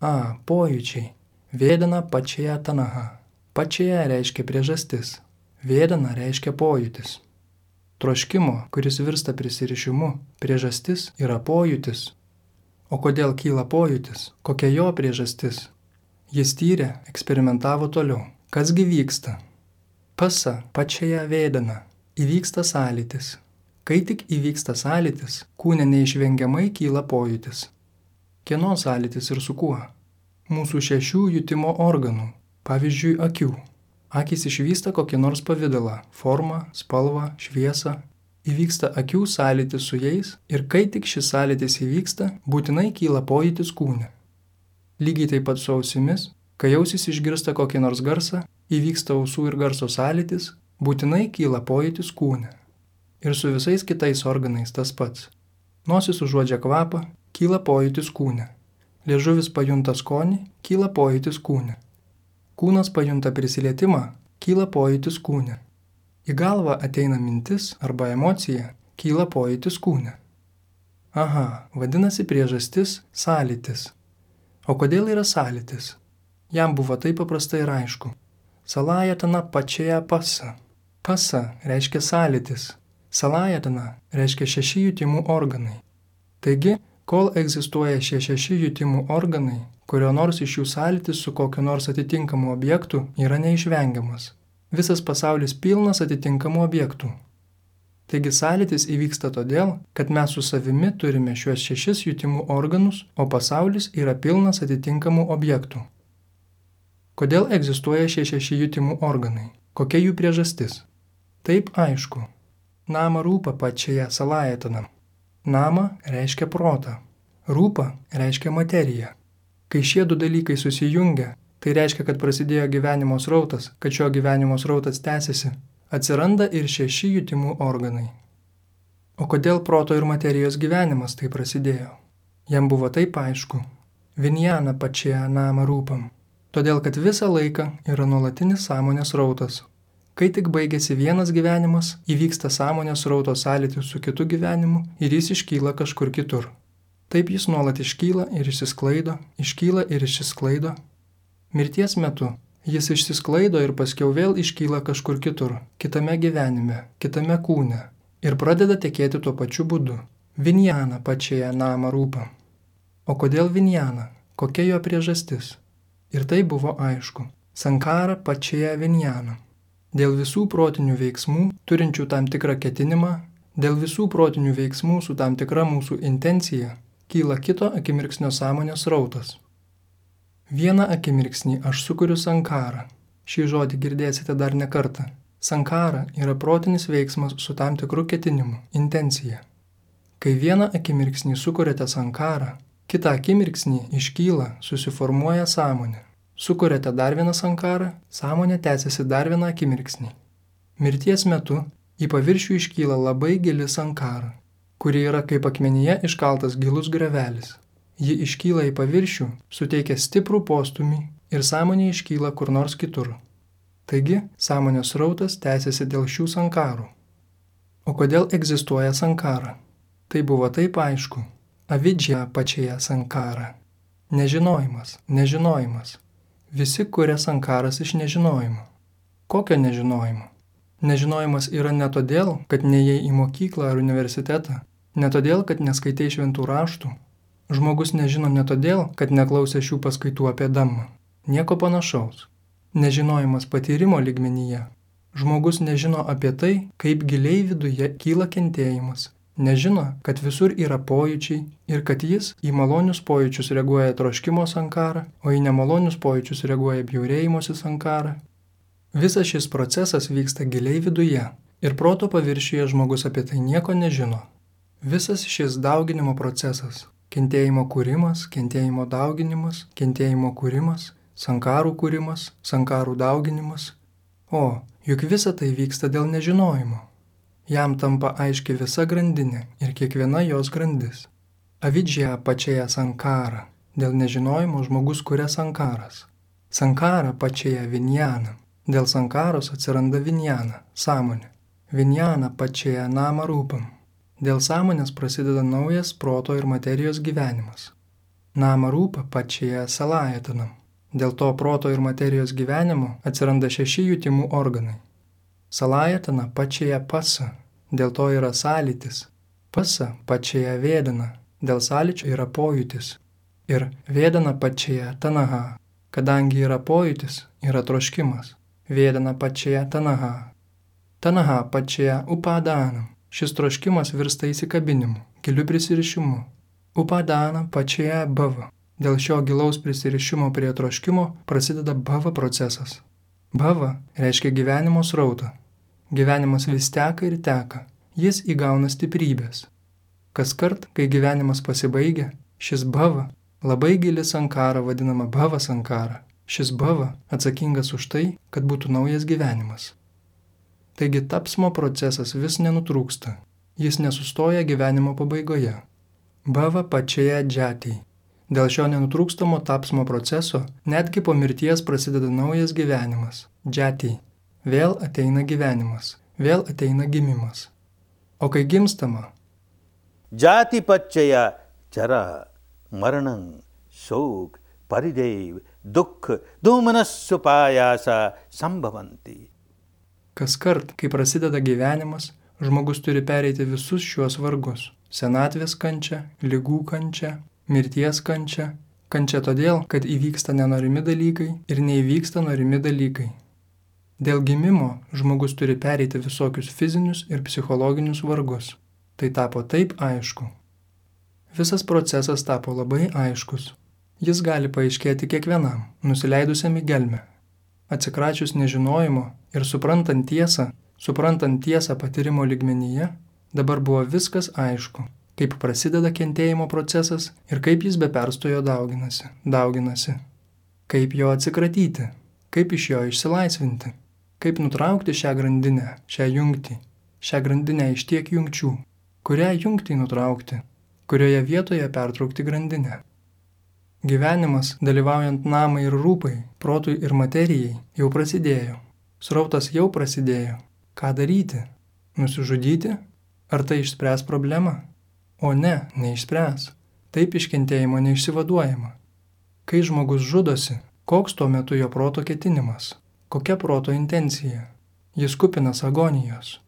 Pojūčiai. Vėdana pačia tanaha. Pačia reiškia priežastis. Vėdana reiškia pojūtis. Troškimo, kuris virsta prisirišimu, priežastis yra pojūtis. O kodėl kyla pojūtis? Kokia jo priežastis? Jis tyrė, eksperimentavo toliau. Kasgi vyksta? Pasa, pačia vėdana. Įvyksta sąlytis. Kai tik įvyksta sąlytis, kūne neišvengiamai kyla pojūtis. Kieno sąlytis ir su kuo? Mūsų 6 jutimo organų. Pavyzdžiui, akių. Akys išvysta kokį nors pavidalą, formą, spalvą, šviesą. Įvyksta akių sąlytis su jais ir kai tik šis sąlytis įvyksta, būtinai kyla pojūtis kūne. Lygiai taip pat su ausimis, kai ausis išgirsta kokį nors garsą, įvyksta ausų ir garso sąlytis, būtinai kyla pojūtis kūne. Ir su visais kitais organais tas pats. Nosis užuodžia kvapą, kyla pojūtis kūne. Liežuvis pajunta skonį, kyla pojūtis kūne. Kūnas pajunta prisilietimą, kyla pojūtis kūne. Į galvą ateina mintis arba emocija, kyla pojūtis kūne. Vadinasi priežastis sąlytis. O kodėl yra sąlytis? Jam buvo taip paprastai ir aišku. Salajatana pačia pasa. Pasa reiškia sąlytis. Salajatana reiškia 6 jutimų organai. Taigi, kol egzistuoja šie 6 jutimų organai, kurio nors iš jų sąlytis su kokiu nors atitinkamu objektu yra neišvengiamas. Visas pasaulis pilnas atitinkamų objektų. Taigi sąlytis įvyksta todėl, kad mes su savimi turime šiuos 6 jutimų organus, o pasaulis yra pilnas atitinkamų objektų. Kodėl egzistuoja šie 6 jutimų organai? Kokia jų priežastis? Taip aišku. Nama rūpa pačia salajatana. Nama reiškia protą. Rūpa reiškia materiją. Kai šie 2 dalykai susijungia, tai reiškia, kad prasidėjo gyvenimo srautas, kad šio gyvenimo srautas tęsiasi, atsiranda ir 6 jutimų organai. O kodėl proto ir materijos gyvenimas tai prasidėjo? Jam buvo taip aišku. Vinjana pačia nama rūpam. Todėl, kad visą laiką yra nuolatinis sąmonės srautas. Kai tik baigėsi vienas gyvenimas, įvyksta sąmonės srauto sąlytis su kitu gyvenimu ir jis iškyla kažkur kitur. Taip jis nuolat iškyla ir išsisklaido. Mirties metu jis išsisklaido ir paskiau vėl iškyla kažkur kitur, kitame gyvenime, kitame kūne ir pradeda tekėti tuo pačiu būdu. Vinjana pačioje nama rūpa. O kodėl vinjana? Kokia jo priežastis? Ir tai buvo aišku. Sankara pačioje vinjana. Dėl visų protinių veiksmų, turinčių tam tikrą ketinimą, dėl visų protinių veiksmų su tam tikra mūsų intencija, kyla kito akimirksnio sąmonės srautas. Vieną akimirksnį aš sukuriu sankarą. Šį žodį girdėsite dar ne kartą. Sankara yra protinis veiksmas su tam tikru ketinimu, intencija. Kai vieną akimirksnį sukuriate sankarą, kitą akimirksnį iškyla, susiformuoja sąmonė. Sukuriate dar vieną sankarą, sąmonė tęsiasi dar vieną akimirksnį. Mirties metu į paviršių iškyla labai gili sankara, kuri yra kaip akmenyje iškaltas gilus grevelis. Ji iškyla į paviršių, suteikia stiprų postūmį ir sąmonė iškyla kur nors kitur. Taigi, sąmonės srautas tęsiasi dėl šių sankarų. O kodėl egzistuoja sankara? Tai buvo taip aišku. Avidžia pačioje sankara. Nežinojimas. Visi kuria sankaras iš nežinojimo. Kokio nežinojimo? Nežinojimas yra ne todėl, kad neėjai į mokyklą ar universitetą, ne todėl, kad neskaitai šventų raštų. Žmogus nežino ne todėl, kad neklausė šių paskaitų apie Dhammą. Nieko panašaus. Nežinojimas patyrimo lygmenyje. Žmogus nežino apie tai, kaip giliai viduje kyla kentėjimas. Nežino, kad visur yra pojūčiai ir kad jis į malonius pojūčius reaguoja troškimo sankara, o į nemalonius pojūčius reaguoja bjaurėjimosi sankara. Visas šis procesas vyksta giliai viduje ir proto paviršiuje žmogus apie tai nieko nežino. Visas šis dauginimo procesas – kentėjimo kūrimas, kentėjimo dauginimas, kentėjimo kūrimas, sankarų kūrimas, sankarų dauginimas. O, juk visa tai vyksta dėl nežinojimo. Jam tampa aiški visa grandinė ir kiekviena jos grandis. Avidžia pačioje sankara. Dėl nežinojimo žmogus kuria sankaras. Sankara pačioje vinjana. Dėl sankaros atsiranda vinjana, sąmonė. Vinjana pačioje nama rūpam. Dėl sąmonės prasideda naujas proto ir materijos gyvenimas. Nama rūpa pačioje salajatanam. Dėl to proto ir materijos gyvenimo atsiranda 6 jutimų organai. Salajatana pačioje pasa, dėl to yra sąlytis. Pasa pačioje vėdana, dėl sąlyčio yra pojūtis. Ir vėdana pačioje tanaha, kadangi yra pojūtis, yra troškimas. Vėdana pačioje tanaha. Tanaha pačioje upadanam. Šis troškimas virsta įsikabinimu, giliu prisirišimu. Upadana pačioje bhava. Dėl šio gilaus prisirišimo prie troškimo prasideda bhava procesas. Bhava reiškia gyvenimo srautą. Gyvenimas vis teka ir teka. Jis įgauna stiprybės. Kaskart, kai gyvenimas pasibaigia, šis bhava, labai gili sankara vadinama bhava sankara. Šis bhava atsakingas už tai, kad būtų naujas gyvenimas. Taigi tapsmo procesas vis nenutrūksta. Jis nesustoja gyvenimo pabaigoje. Bhava pačioje džatiai. Dėl šio nenutrūkstamo tapsmo proceso netgi po mirties prasideda naujas gyvenimas – džatiai. Vėl ateina gyvenimas, vėl ateina gimimas. O kai gimstama – Jati pačaya chara maranam šok parideiv dukh domanasupayasa sambhavanti. Kaskart, kai prasideda gyvenimas, žmogus turi pereiti visus šiuos vargus – senatvės kančią, ligų kančią, mirties kančia. Kančia todėl, kad įvyksta nenorimi dalykai ir neįvyksta norimi dalykai. Dėl gimimo žmogus turi pereiti visokius fizinius ir psichologinius vargus. Tai tapo taip aišku. Visas procesas tapo labai aiškus. Jis gali paaiškėti kiekvienam, nusileidusiam į gelmę. Atsikračius nežinojimo ir suprantant tiesą patyrimo lygmenyje, dabar buvo viskas aišku. Kaip prasideda kentėjimo procesas ir kaip jis be perstojo dauginasi. Kaip jo atsikratyti, kaip iš jo išsilaisvinti, kaip nutraukti šią grandinę, šią grandinę iš tiek jungčių, kurią jungtį nutraukti, kurioje vietoje pertraukti grandinę. Gyvenimas, dalyvaujant namai ir rūpai, protui ir materijai, jau prasidėjo. Srautas jau prasidėjo. Ką daryti? Nusižudyti? Ar tai išspręs problemą? O ne, neišspręs. Taip iš kentėjimo neišsivaduojama. Kai žmogus žudosi, koks tuo metu jo proto ketinimas? Kokia proto intencija? Jis kupinas agonijos.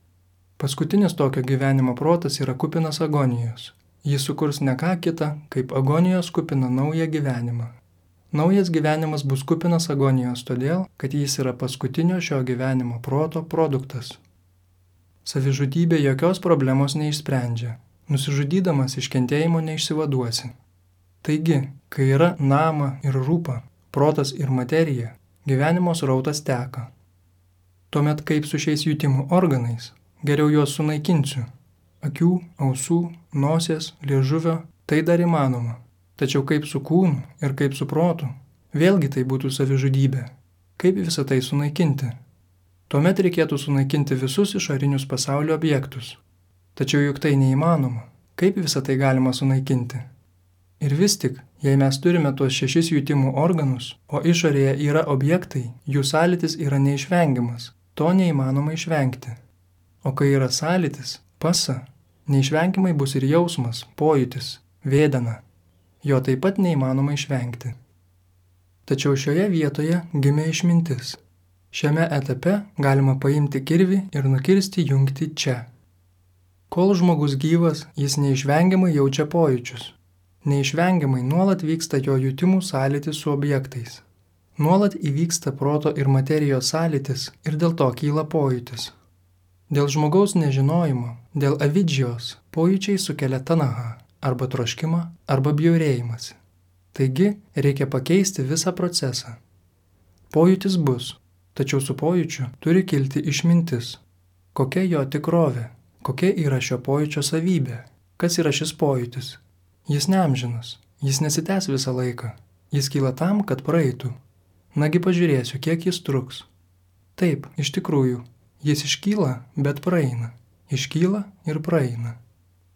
Paskutinis tokio gyvenimo protas yra kupinas agonijos. Jis sukurs ne ką kitą, kaip agonijos kupina naują gyvenimą. Naujas gyvenimas bus kupinas agonijos todėl, kad jis yra paskutinio šio gyvenimo proto produktas. Savižudybė jokios problemos neišsprendžia. Nusižudydamas iš kentėjimo neišsivaduosi. Taigi, kai yra nama ir rūpa, protas ir materija, gyvenimo srautas teka. Tuomet kaip su šiais jutimų organais, geriau juos sunaikinsiu. Akių, ausų, nosies, liežuvio, tai dar įmanoma. Tačiau kaip su kūnu ir kaip su protu, vėlgi tai būtų savižudybė. Kaip visą tai sunaikinti? Tuomet reikėtų sunaikinti visus išorinius pasaulio objektus. Tačiau juk tai neįmanoma. Kaip visą tai galima sunaikinti? Ir vis tik, jei mes turime tuos 6 jutimų organus, o išorėje yra objektai, jų sąlytis yra neišvengiamas. To neįmanoma išvengti. O kai yra sąlytis, pasa, neišvengiamai bus ir jausmas, pojūtis, vėdana. Jo taip pat neįmanoma išvengti. Tačiau šioje vietoje gimė išmintis. Šiame etape galima paimti kirvį ir nukirsti jungtį čia. Kol žmogus gyvas, jis neišvengiamai jaučia pojūčius. Neišvengiamai nuolat vyksta jo jutimų sąlytis su objektais. Nuolat įvyksta proto ir materijos sąlytis ir dėl to kyla pojūtis. Dėl žmogaus nežinojimo, dėl avidžijos, pojūčiai sukelia tanaha, arba troškimą, arba bjaurėjimąsi. Taigi reikia pakeisti visą procesą. Pojūtis bus, tačiau su pojūčiu turi kilti išmintis. Kokia jo tikrovė? Kokia yra šio pojūčio savybė? Kas yra šis pojūtis? Jis neamžinas, jis nesitęs visą laiką. Jis kyla tam, kad praeitų. Nagi pažiūrėsiu, kiek jis truks. Taip, iš tikrųjų, jis iškyla, bet praeina. Iškyla ir praeina.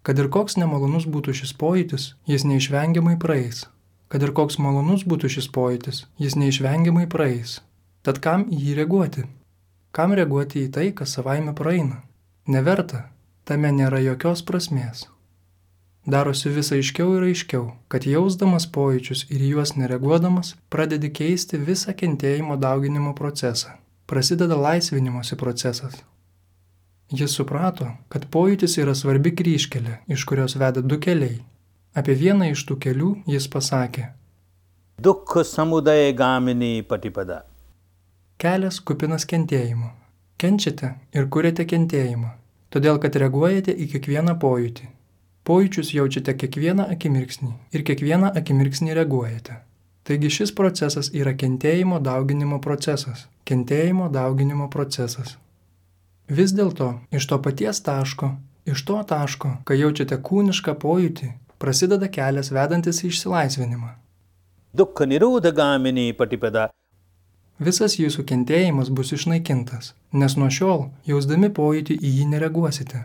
Kad ir koks nemalonus būtų šis pojūtis, jis neišvengiamai praeis. Kad ir koks malonus būtų šis pojūtis, jis neišvengiamai praeis. Tad kam į jį reaguoti? Kam reaguoti į tai, kas savaime praeina? Neverta, tame nėra jokios prasmės. Darosi vis aiškiau ir aiškiau, kad jausdamas pojūčius ir juos nereaguodamas, pradedi keisti visą kentėjimo dauginimo procesą. Prasideda laisvinimosi procesas. Jis suprato, kad pojūtis yra svarbi kryžkelė, iš kurios veda 2 keliai. Apie vieną iš tų kelių jis pasakė: Dukkha samudaya gamini patipada. Kelias kupinas kentėjimo. Kenčiate ir kuriate kentėjimą, todėl kad reaguojate į kiekvieną pojūtį. Pojūčius jaučiate kiekvieną akimirksnį ir kiekvieną akimirksnį reaguojate. Taigi šis procesas yra kentėjimo dauginimo procesas. Kentėjimo dauginimo procesas. Vis dėlto, iš to paties taško, iš to taško, kai jaučiate kūnišką pojūtį, prasideda kelias vedantis į išsilaisvinimą. Dukkha nirodha gamini patipada. Visas jūsų kentėjimas bus išnaikintas, nes nuo šiol, jausdami pojūtį, į jį nereaguosite.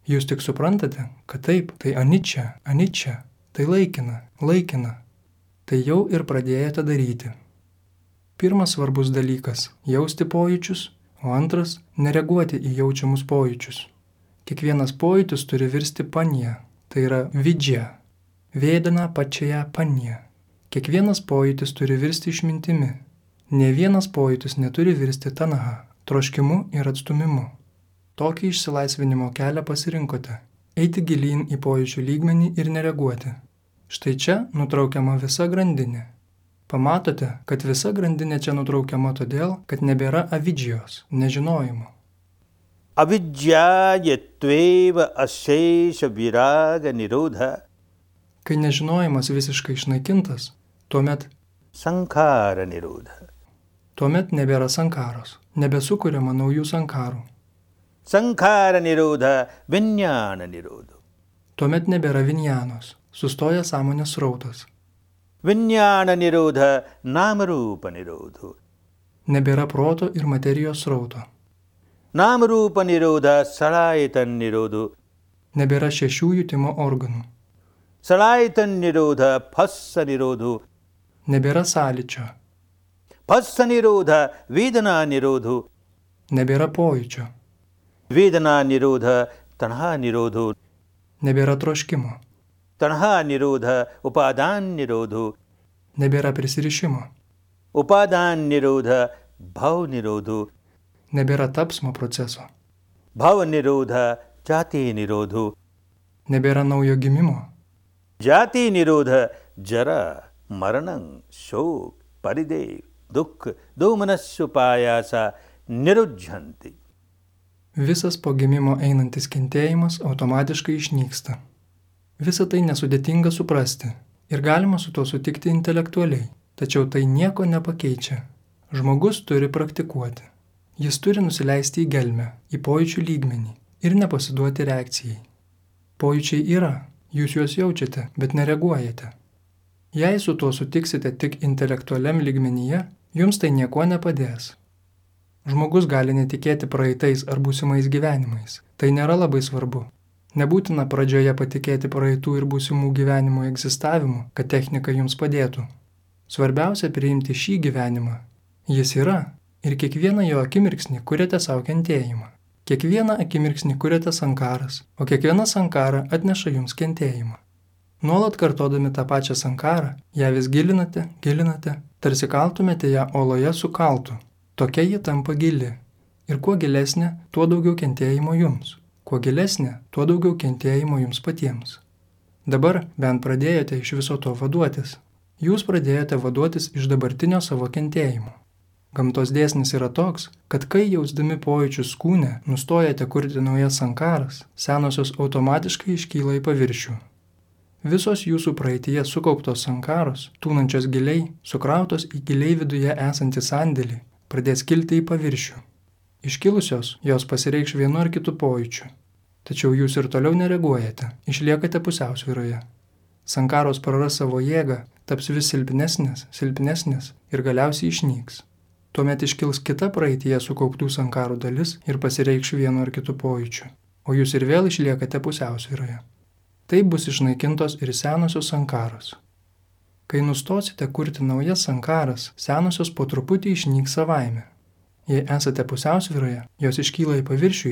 Jūs tik suprantate, kad taip, tai aničia, tai laikina. Tai jau ir pradėjote daryti. Pirmas svarbus dalykas – jausti pojūčius, o antras – nereaguoti į jaučiamus pojūčius. Kiekvienas pojūtis turi virsti panja, tai yra vidžia, vėdana pačioje panja. Kiekvienas pojūtis turi virsti išmintimi. Ne vienas pojūtis neturi virsti tanaha, troškimu ir atstumimu. Tokį išsilaisvinimo kelią pasirinkote – eiti gilyn į pojūčių lygmenį ir nereaguoti. Štai čia nutraukiama visa grandinė. Pamatote, kad visa grandinė čia nutraukiama todėl, kad nebėra avidžijos, nežinojimo. Avidjya yatveva asesha viraga nirodha. Kai nežinojimas visiškai išnaikintas, tuomet Sankhara nirodha. Tuomet nebėra sankaros, nebesukuriama naujų sankarų. Sankhara nirodha vinyana nirodha. Tuomet nebėra vinjanos, sustoja sąmonės srautas. Vinyana nirodha namarupa nirodha. Nebėra proto ir materijos srauto. Namarupa nirodha salayatan nirodha. Nebėra 6 jutimo organų. Salayatan nirodha phassa nirodha. Nebėra sąlyčio. Phassa nirodha vedana nirodha. Nebėra pojūčio. Vedana nirodha tanha nirodha. Nebėra troškimo. Tanha nirodha upadan nirodho. Nebėra prisirišimo. Upadan nirodha bhav nirodho. Nebėra tapsmo proceso. Bhav nirodha jati nirodho. Nebėra naujo gimimo. Jati nirodha jara maranam shok paridev dukh domanasupayasa nirujhanti. Visas po gimimo einantis kentėjimas automatiškai išnyksta. Visa tai nesudėtinga suprasti ir galima su tuo sutikti intelektualiai, tačiau tai nieko nepakeičia. Žmogus turi praktikuoti. Jis turi nusileisti į gelmę, į pojūčių lygmenį ir nepasiduoti reakcijai. Pojūčiai yra, jūs juos jaučiate, bet nereaguojate. Jei su tuo sutiksite tik intelektualiam lygmenyje, jums tai nieko nepadės. Žmogus gali netikėti praeitais ar būsimais gyvenimais. Tai nėra labai svarbu. Nebūtina pradžioje patikėti praeitų ir būsimų gyvenimų egzistavimu, kad technika jums padėtų. Svarbiausia priimti šį gyvenimą. Jis yra ir kiekvieną jo akimirksnį kuriate savo kentėjimą. Kiekvieną akimirksnį kuriate sankaras, o kiekviena sankara atneša jums kentėjimą. Nuolat kartodami tą pačią sankarą, ją vis gilinate, tarsi kaltumėte ją oloje su kaltu. Tokia ji tampa gili. Ir kuo gilesnė, tuo daugiau kentėjimo jums. Kuo gilesnė, tuo daugiau kentėjimo jums patiems. Dabar bent pradėjote iš viso to vaduotis. Jūs pradėjote vaduotis iš dabartinio savo kentėjimo. Gamtos dėsnis yra toks, kad kai jausdami pojūčius kūne nustojate kurti naujas sankaras, senosios automatiškai iškyla į paviršių. Visos jūsų praeityje sukauptos sankaros, tūnančios giliai, sukrautos į giliai viduje esantį sandėlį, pradės kilti į paviršių. Iškilusios, jos pasireikš vienu ar kitu pojūčiu. Tačiau jūs ir toliau nereaguojate, išliekate pusiausvyroje. Sankaros praras savo jėgą, taps vis silpnesnės ir galiausiai išnyks. Tuomet iškils kita praeityje sukauptų sankarų dalis ir pasireikš vienu ar kitu pojūčiu, o jūs ir vėl išliekate pusiausvyroje. Taip bus išnaikintos ir senosios sankaros. Kai nustosite kurti naujas sankaras, senosios po truputį išnyks savaime. Jei esate pusiausvyroje, jos iškyla į paviršių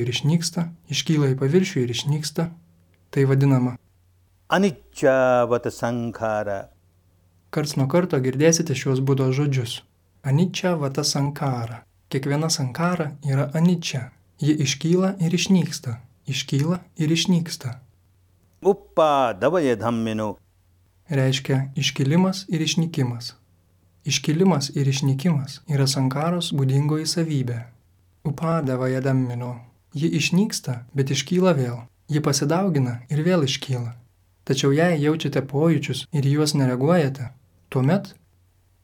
ir išnyksta, tai vadinama Anicca sankara. Karts nuo karto girdėsite šios Budos žodžius. Anicca vata sankara. Kiekviena sankara yra anicca. Ji iškyla ir išnyksta. Uppa davaya dhammino. Reiškia iškilimas ir išnykimas. Iškilimas ir išnykimas yra sankaros būdingoji savybė. Upadavaja dhammino. Ji išnyksta, bet iškyla vėl. Ji pasidaugina ir vėl iškyla. Tačiau jei jaučiate pojūčius ir juos nereaguojate, tuomet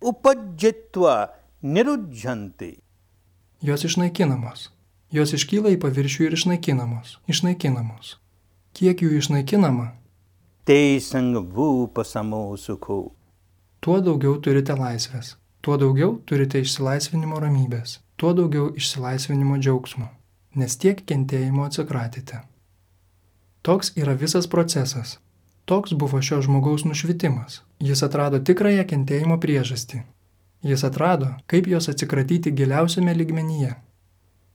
Upajjitva nirujhanti. Jos išnaikinamos. Jos iškyla į paviršių ir išnaikinamos. Kiek jų išnaikinama? Tesang vupasamo sukho. Tuo daugiau turite laisvės, tuo daugiau turite išsilaisvinimo ramybės, tuo daugiau išsilaisvinimo džiaugsmo, nes tiek kentėjimo atsikratėte. Toks yra visas procesas. Toks buvo šio žmogaus nušvitimas. Jis atrado tikrąją kentėjimo priežastį. Jis atrado, kaip jos atsikratyti giliausiame lygmenyje.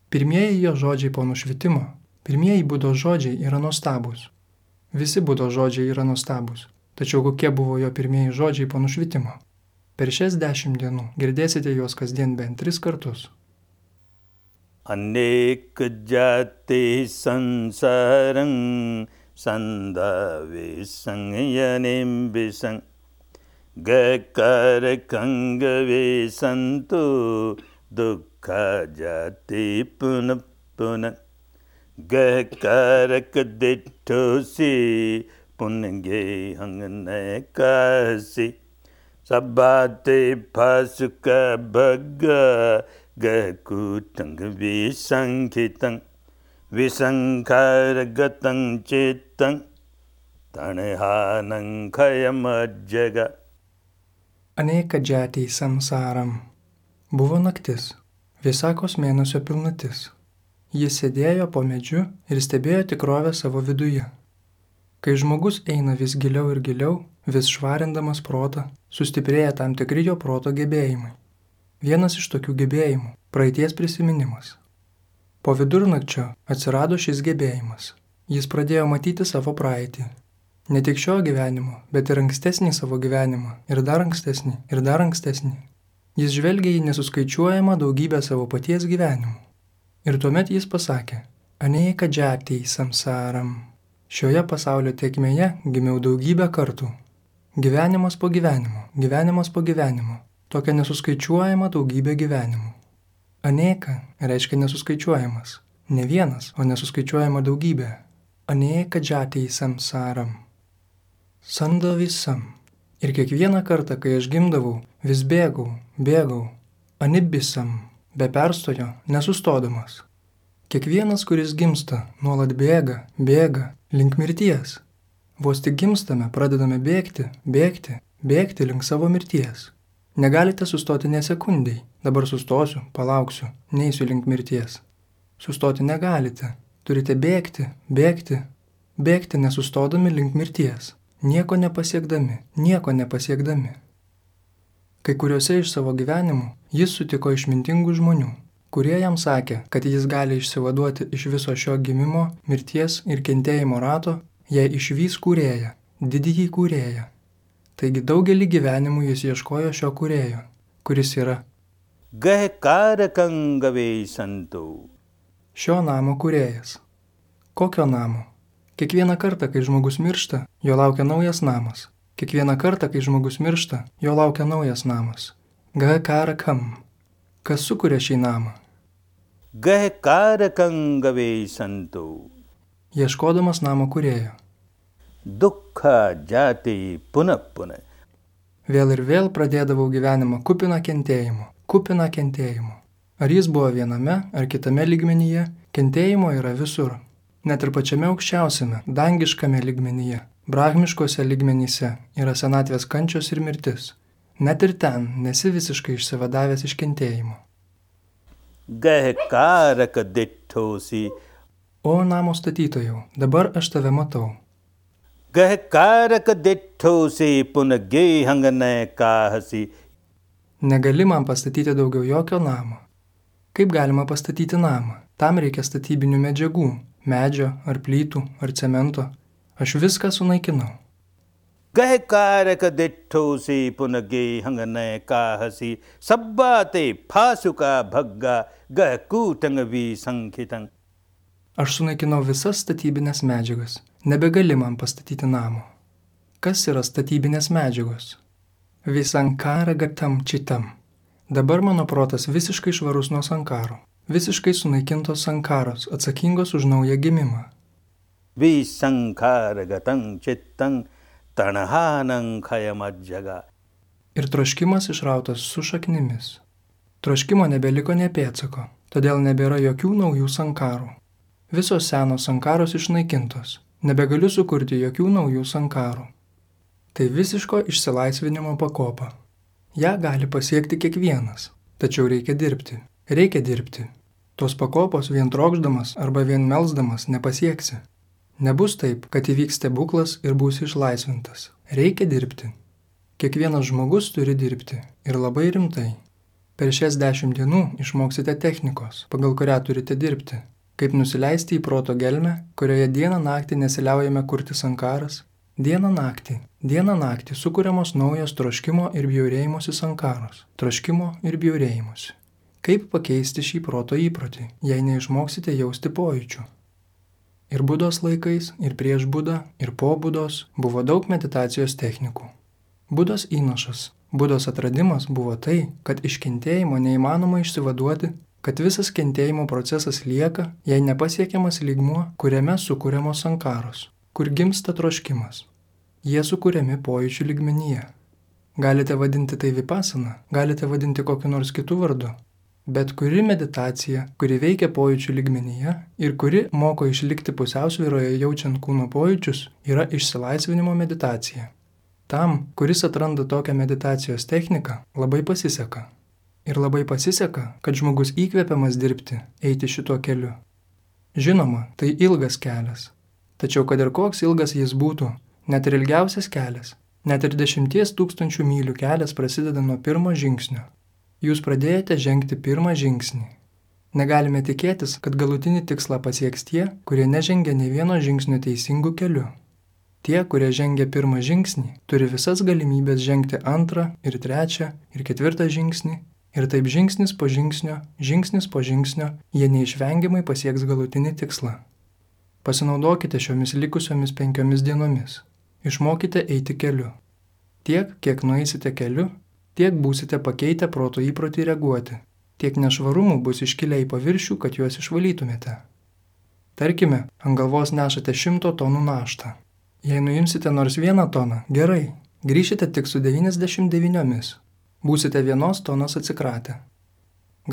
Pirmieji jo žodžiai po nušvitimo, pirmieji Budos žodžiai yra nuostabūs. Visi Budos žodžiai yra nuostabūs. Tačiau kokie buvo jo pirmieji žodžiai po nušvitimo? Per šias 10 dienų girdėsite juos kasdien bent 3 kartus. Anek jati sansarang sandave sangyanem bisang gakarakangave santu dukkha jati punapuna gakarakadittosi punge hangnekasi sabbate phasuka bhagga gakutang visankitang visankargatang chittang tanehanang khayamajjaga. Aneka jati samsaram. Buvo naktis, Visakos mėnesio pilnatis. Jis sėdėjo po medžiu ir stebėjo tikrovę savo viduje. Kai žmogus eina vis giliau ir giliau, vis švarindamas protą, sustiprėja tam tikri jo proto gebėjimai. Vienas iš tokių gebėjimų – praeities prisiminimas. Po vidurnakčio atsirado šis gebėjimas. Jis pradėjo matyti savo praeitį. Ne tik šio gyvenimo, bet ir ankstesnį savo gyvenimą, ir dar ankstesnį, ir dar ankstesnį. Jis žvelgia į nesuskaičiuojamą daugybę savo paties gyvenimų. Ir tuomet jis pasakė, Aneka džatī samsaram. Šioje pasaulio tėkmėje gimiau daugybę kartų. Gyvenimas po gyvenimo, gyvenimas po gyvenimo. Tokia nesuskaičiuojama daugybė gyvenimų. Aneka reiškia nesuskaičiuojamas. Ne vienas, o nesuskaičiuojama daugybė. Aneka džatī samsaram. Sanda visam. Ir kiekvieną kartą, kai aš gimdavau, vis bėgau. Anibisam, be perstojo, nesustodamas. Kiekvienas, kuris gimsta, nuolat bėga, link mirties. Vos tik gimstame, pradedame bėgti link savo mirties. Negalite sustoti ne sekundei. Dabar sustosiu, palauksiu, neisiu link mirties. Sustoti negalite. Turite bėgti nesustodami link mirties. Nieko nepasiekdami. Kai kuriuose iš savo gyvenimų jis sutiko išmintingų žmonių, kurie jam sakė, kad jis gali išsivaduoti iš viso šio gimimo, mirties ir kentėjimo rato, jei išvys kūrėją, didįjį kūrėją. Taigi daugelį gyvenimų jis ieškojo šio kūrėjo, kuris yra šio namo kūrėjas. Kokio namo? Kiekvieną kartą, kai žmogus miršta, jo laukia naujas namas. Kiekvieną kartą, kai žmogus miršta, jo laukia naujas namas. Gakarakam. Kas sukuria šį namą? Ieškodamas namo kūrėjo. Dukha jati puna. Vėl ir vėl pradėdavau gyvenimą kupiną kentėjimo. Ar jis buvo viename ar kitame lygmenyje, kentėjimo yra visur. Net ir pačiame aukščiausiame, dangiškame lygmenyje, brahmiškose lygmenyse yra senatvės kančios ir mirtis. Net ir ten nesi visiškai išsivadavęs iš kentėjimo. O namo statytojau, dabar aš tave matau. Negali man pastatyti daugiau jokio namo. Kaip galima pastatyti namą? Tam reikia statybinių medžiagų, medžio ar plytų ar cemento. Aš viską sunaikinau. Aš sunaikinau visas statybinės medžiagas. Nebegali man pastatyti namo. Kas yra statybinės medžiagos? Visankara gatam čitam. Dabar mano protas visiškai švarus nuo sankarų. Visiškai sunaikintos sankaros, atsakingos už naują gimimą. Visankara gatam čitam tanahanam khayamadjaga. Ir troškimas išrautas su šaknimis. Troškimo nebeliko nė pėdsako, todėl nebėra jokių naujų sankarų. Visos senos sankaros išnaikintos. Nebegaliu sukurti jokių naujų sankarų. Tai visiško išsilaisvinimo pakopa. Ja gali pasiekti kiekvienas, tačiau reikia dirbti. Tos pakopos vien trokšdamas arba vien melsdamas nepasieksi. Nebus taip, kad įvyks stebuklas ir būsi išlaisvintas. Reikia dirbti. Kiekvienas žmogus turi dirbti ir labai rimtai. Per šias 10 dienų išmoksite technikos, pagal kurią turite dirbti. Kaip nusileisti į proto gelmę, kurioje dieną naktį nesiliaujame kurti sankaras. Dieną naktį sukuriamos naujos troškimo ir bjaurėjimosi sankaros. Troškimo ir bjaurėjimosi. Kaip pakeisti šį proto įprotį, jei neišmoksite jausti pojūčių? Ir Budos laikais, ir prieš Budą, ir po Budos buvo daug meditacijos technikų. Budos įnašas, Budos atradimas buvo tai, kad iš kentėjimo neįmanoma išsivaduoti, kad visas kentėjimo procesas lieka, jei nepasiekiamas lygmuo, kuriame sukuriamos sankaros, kur gimsta troškimas. Jie sukuriami pojūčių lygmenyje. Galite vadinti tai vipasana, galite vadinti kokiu nors kitu vardu. Bet kuri meditacija, kuri veikia pojūčių lygmenyje ir kuri moko išlikti pusiausvyroje jaučiant kūno pojūčius, yra išsilaisvinimo meditacija. Tam, kuris atranda tokią meditacijos techniką, labai pasiseka. Ir labai pasiseka, kad žmogus įkvepiamas dirbti, eiti šituo keliu. Žinoma, tai ilgas kelias. Tačiau kad ir koks ilgas jis būtų, net ir ilgiausias kelias, net ir 10 000 mylių kelias prasideda nuo pirmo žingsnio. Jūs pradėjote žengti pirmą žingsnį. Negalime tikėtis, kad galutinį tikslą pasieks tie, kurie nežengia nei vieno žingsnio teisingų keliu. Tie, kurie žengia pirmą žingsnį, turi visas galimybės žengti antrą ir trečią ir ketvirtą žingsnį, ir taip žingsnis po žingsnio, jie neišvengiamai pasieks galutinį tikslą. Pasinaudokite šiomis likusiomis 5 dienomis. Išmokite eiti keliu. Tiek, kiek nueisite keliu, tiek būsite pakeitę proto įprotį reaguoti, tiek nešvarumų bus iškilę į paviršių, kad juos išvalytumėte. Tarkime, ant galvos nešate 100 tonų naštą. Jei nuimsite nors 1 toną, gerai, grįšite tik su 99. Būsite 1 tonos atsikratę.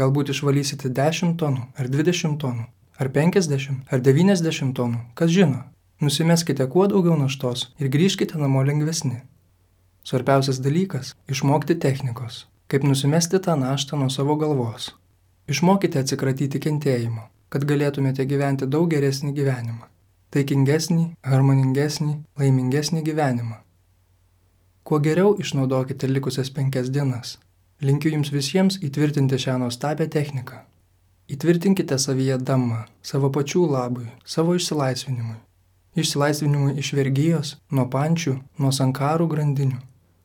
Galbūt išvalysite 10 tonų, ar 20 tonų, ar 50, ar 90 tonų, kas žino. Nusimeskite kuo daugiau naštos ir grįžkite namo lengvesni. Svarbiausias dalykas – išmokti technikos, kaip nusimesti tą naštą nuo savo galvos. Išmokite atsikratyti kentėjimo, kad galėtumėte gyventi daug geresnį gyvenimą. Taikingesnį, harmoningesnį, laimingesnį gyvenimą. Kuo geriau išnaudokite likusias 5 dienas. Linkiu jums visiems įtvirtinti šią nuostabią techniką. Įtvirtinkite savyje dammą, savo pačių labui, savo išsilaisvinimui. Išsilaisvinimui iš vergijos, nuo pančių, nuo sankarų grandinių,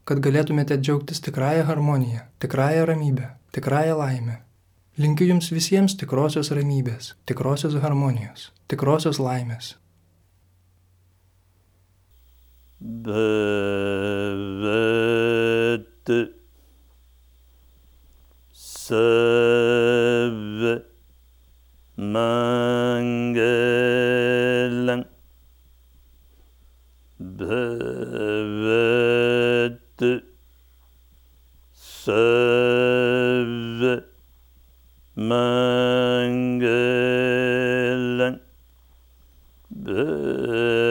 kad galėtumėte džiaugtis tikrąją harmoniją, tikrąją ramybę, tikrąją laimę. Linkiu jums visiems tikrosios ramybės, tikrosios harmonijos, tikrosios laimės. Bhavad Sarva Mangalam Bhavad Sarva Mangalam Bhavad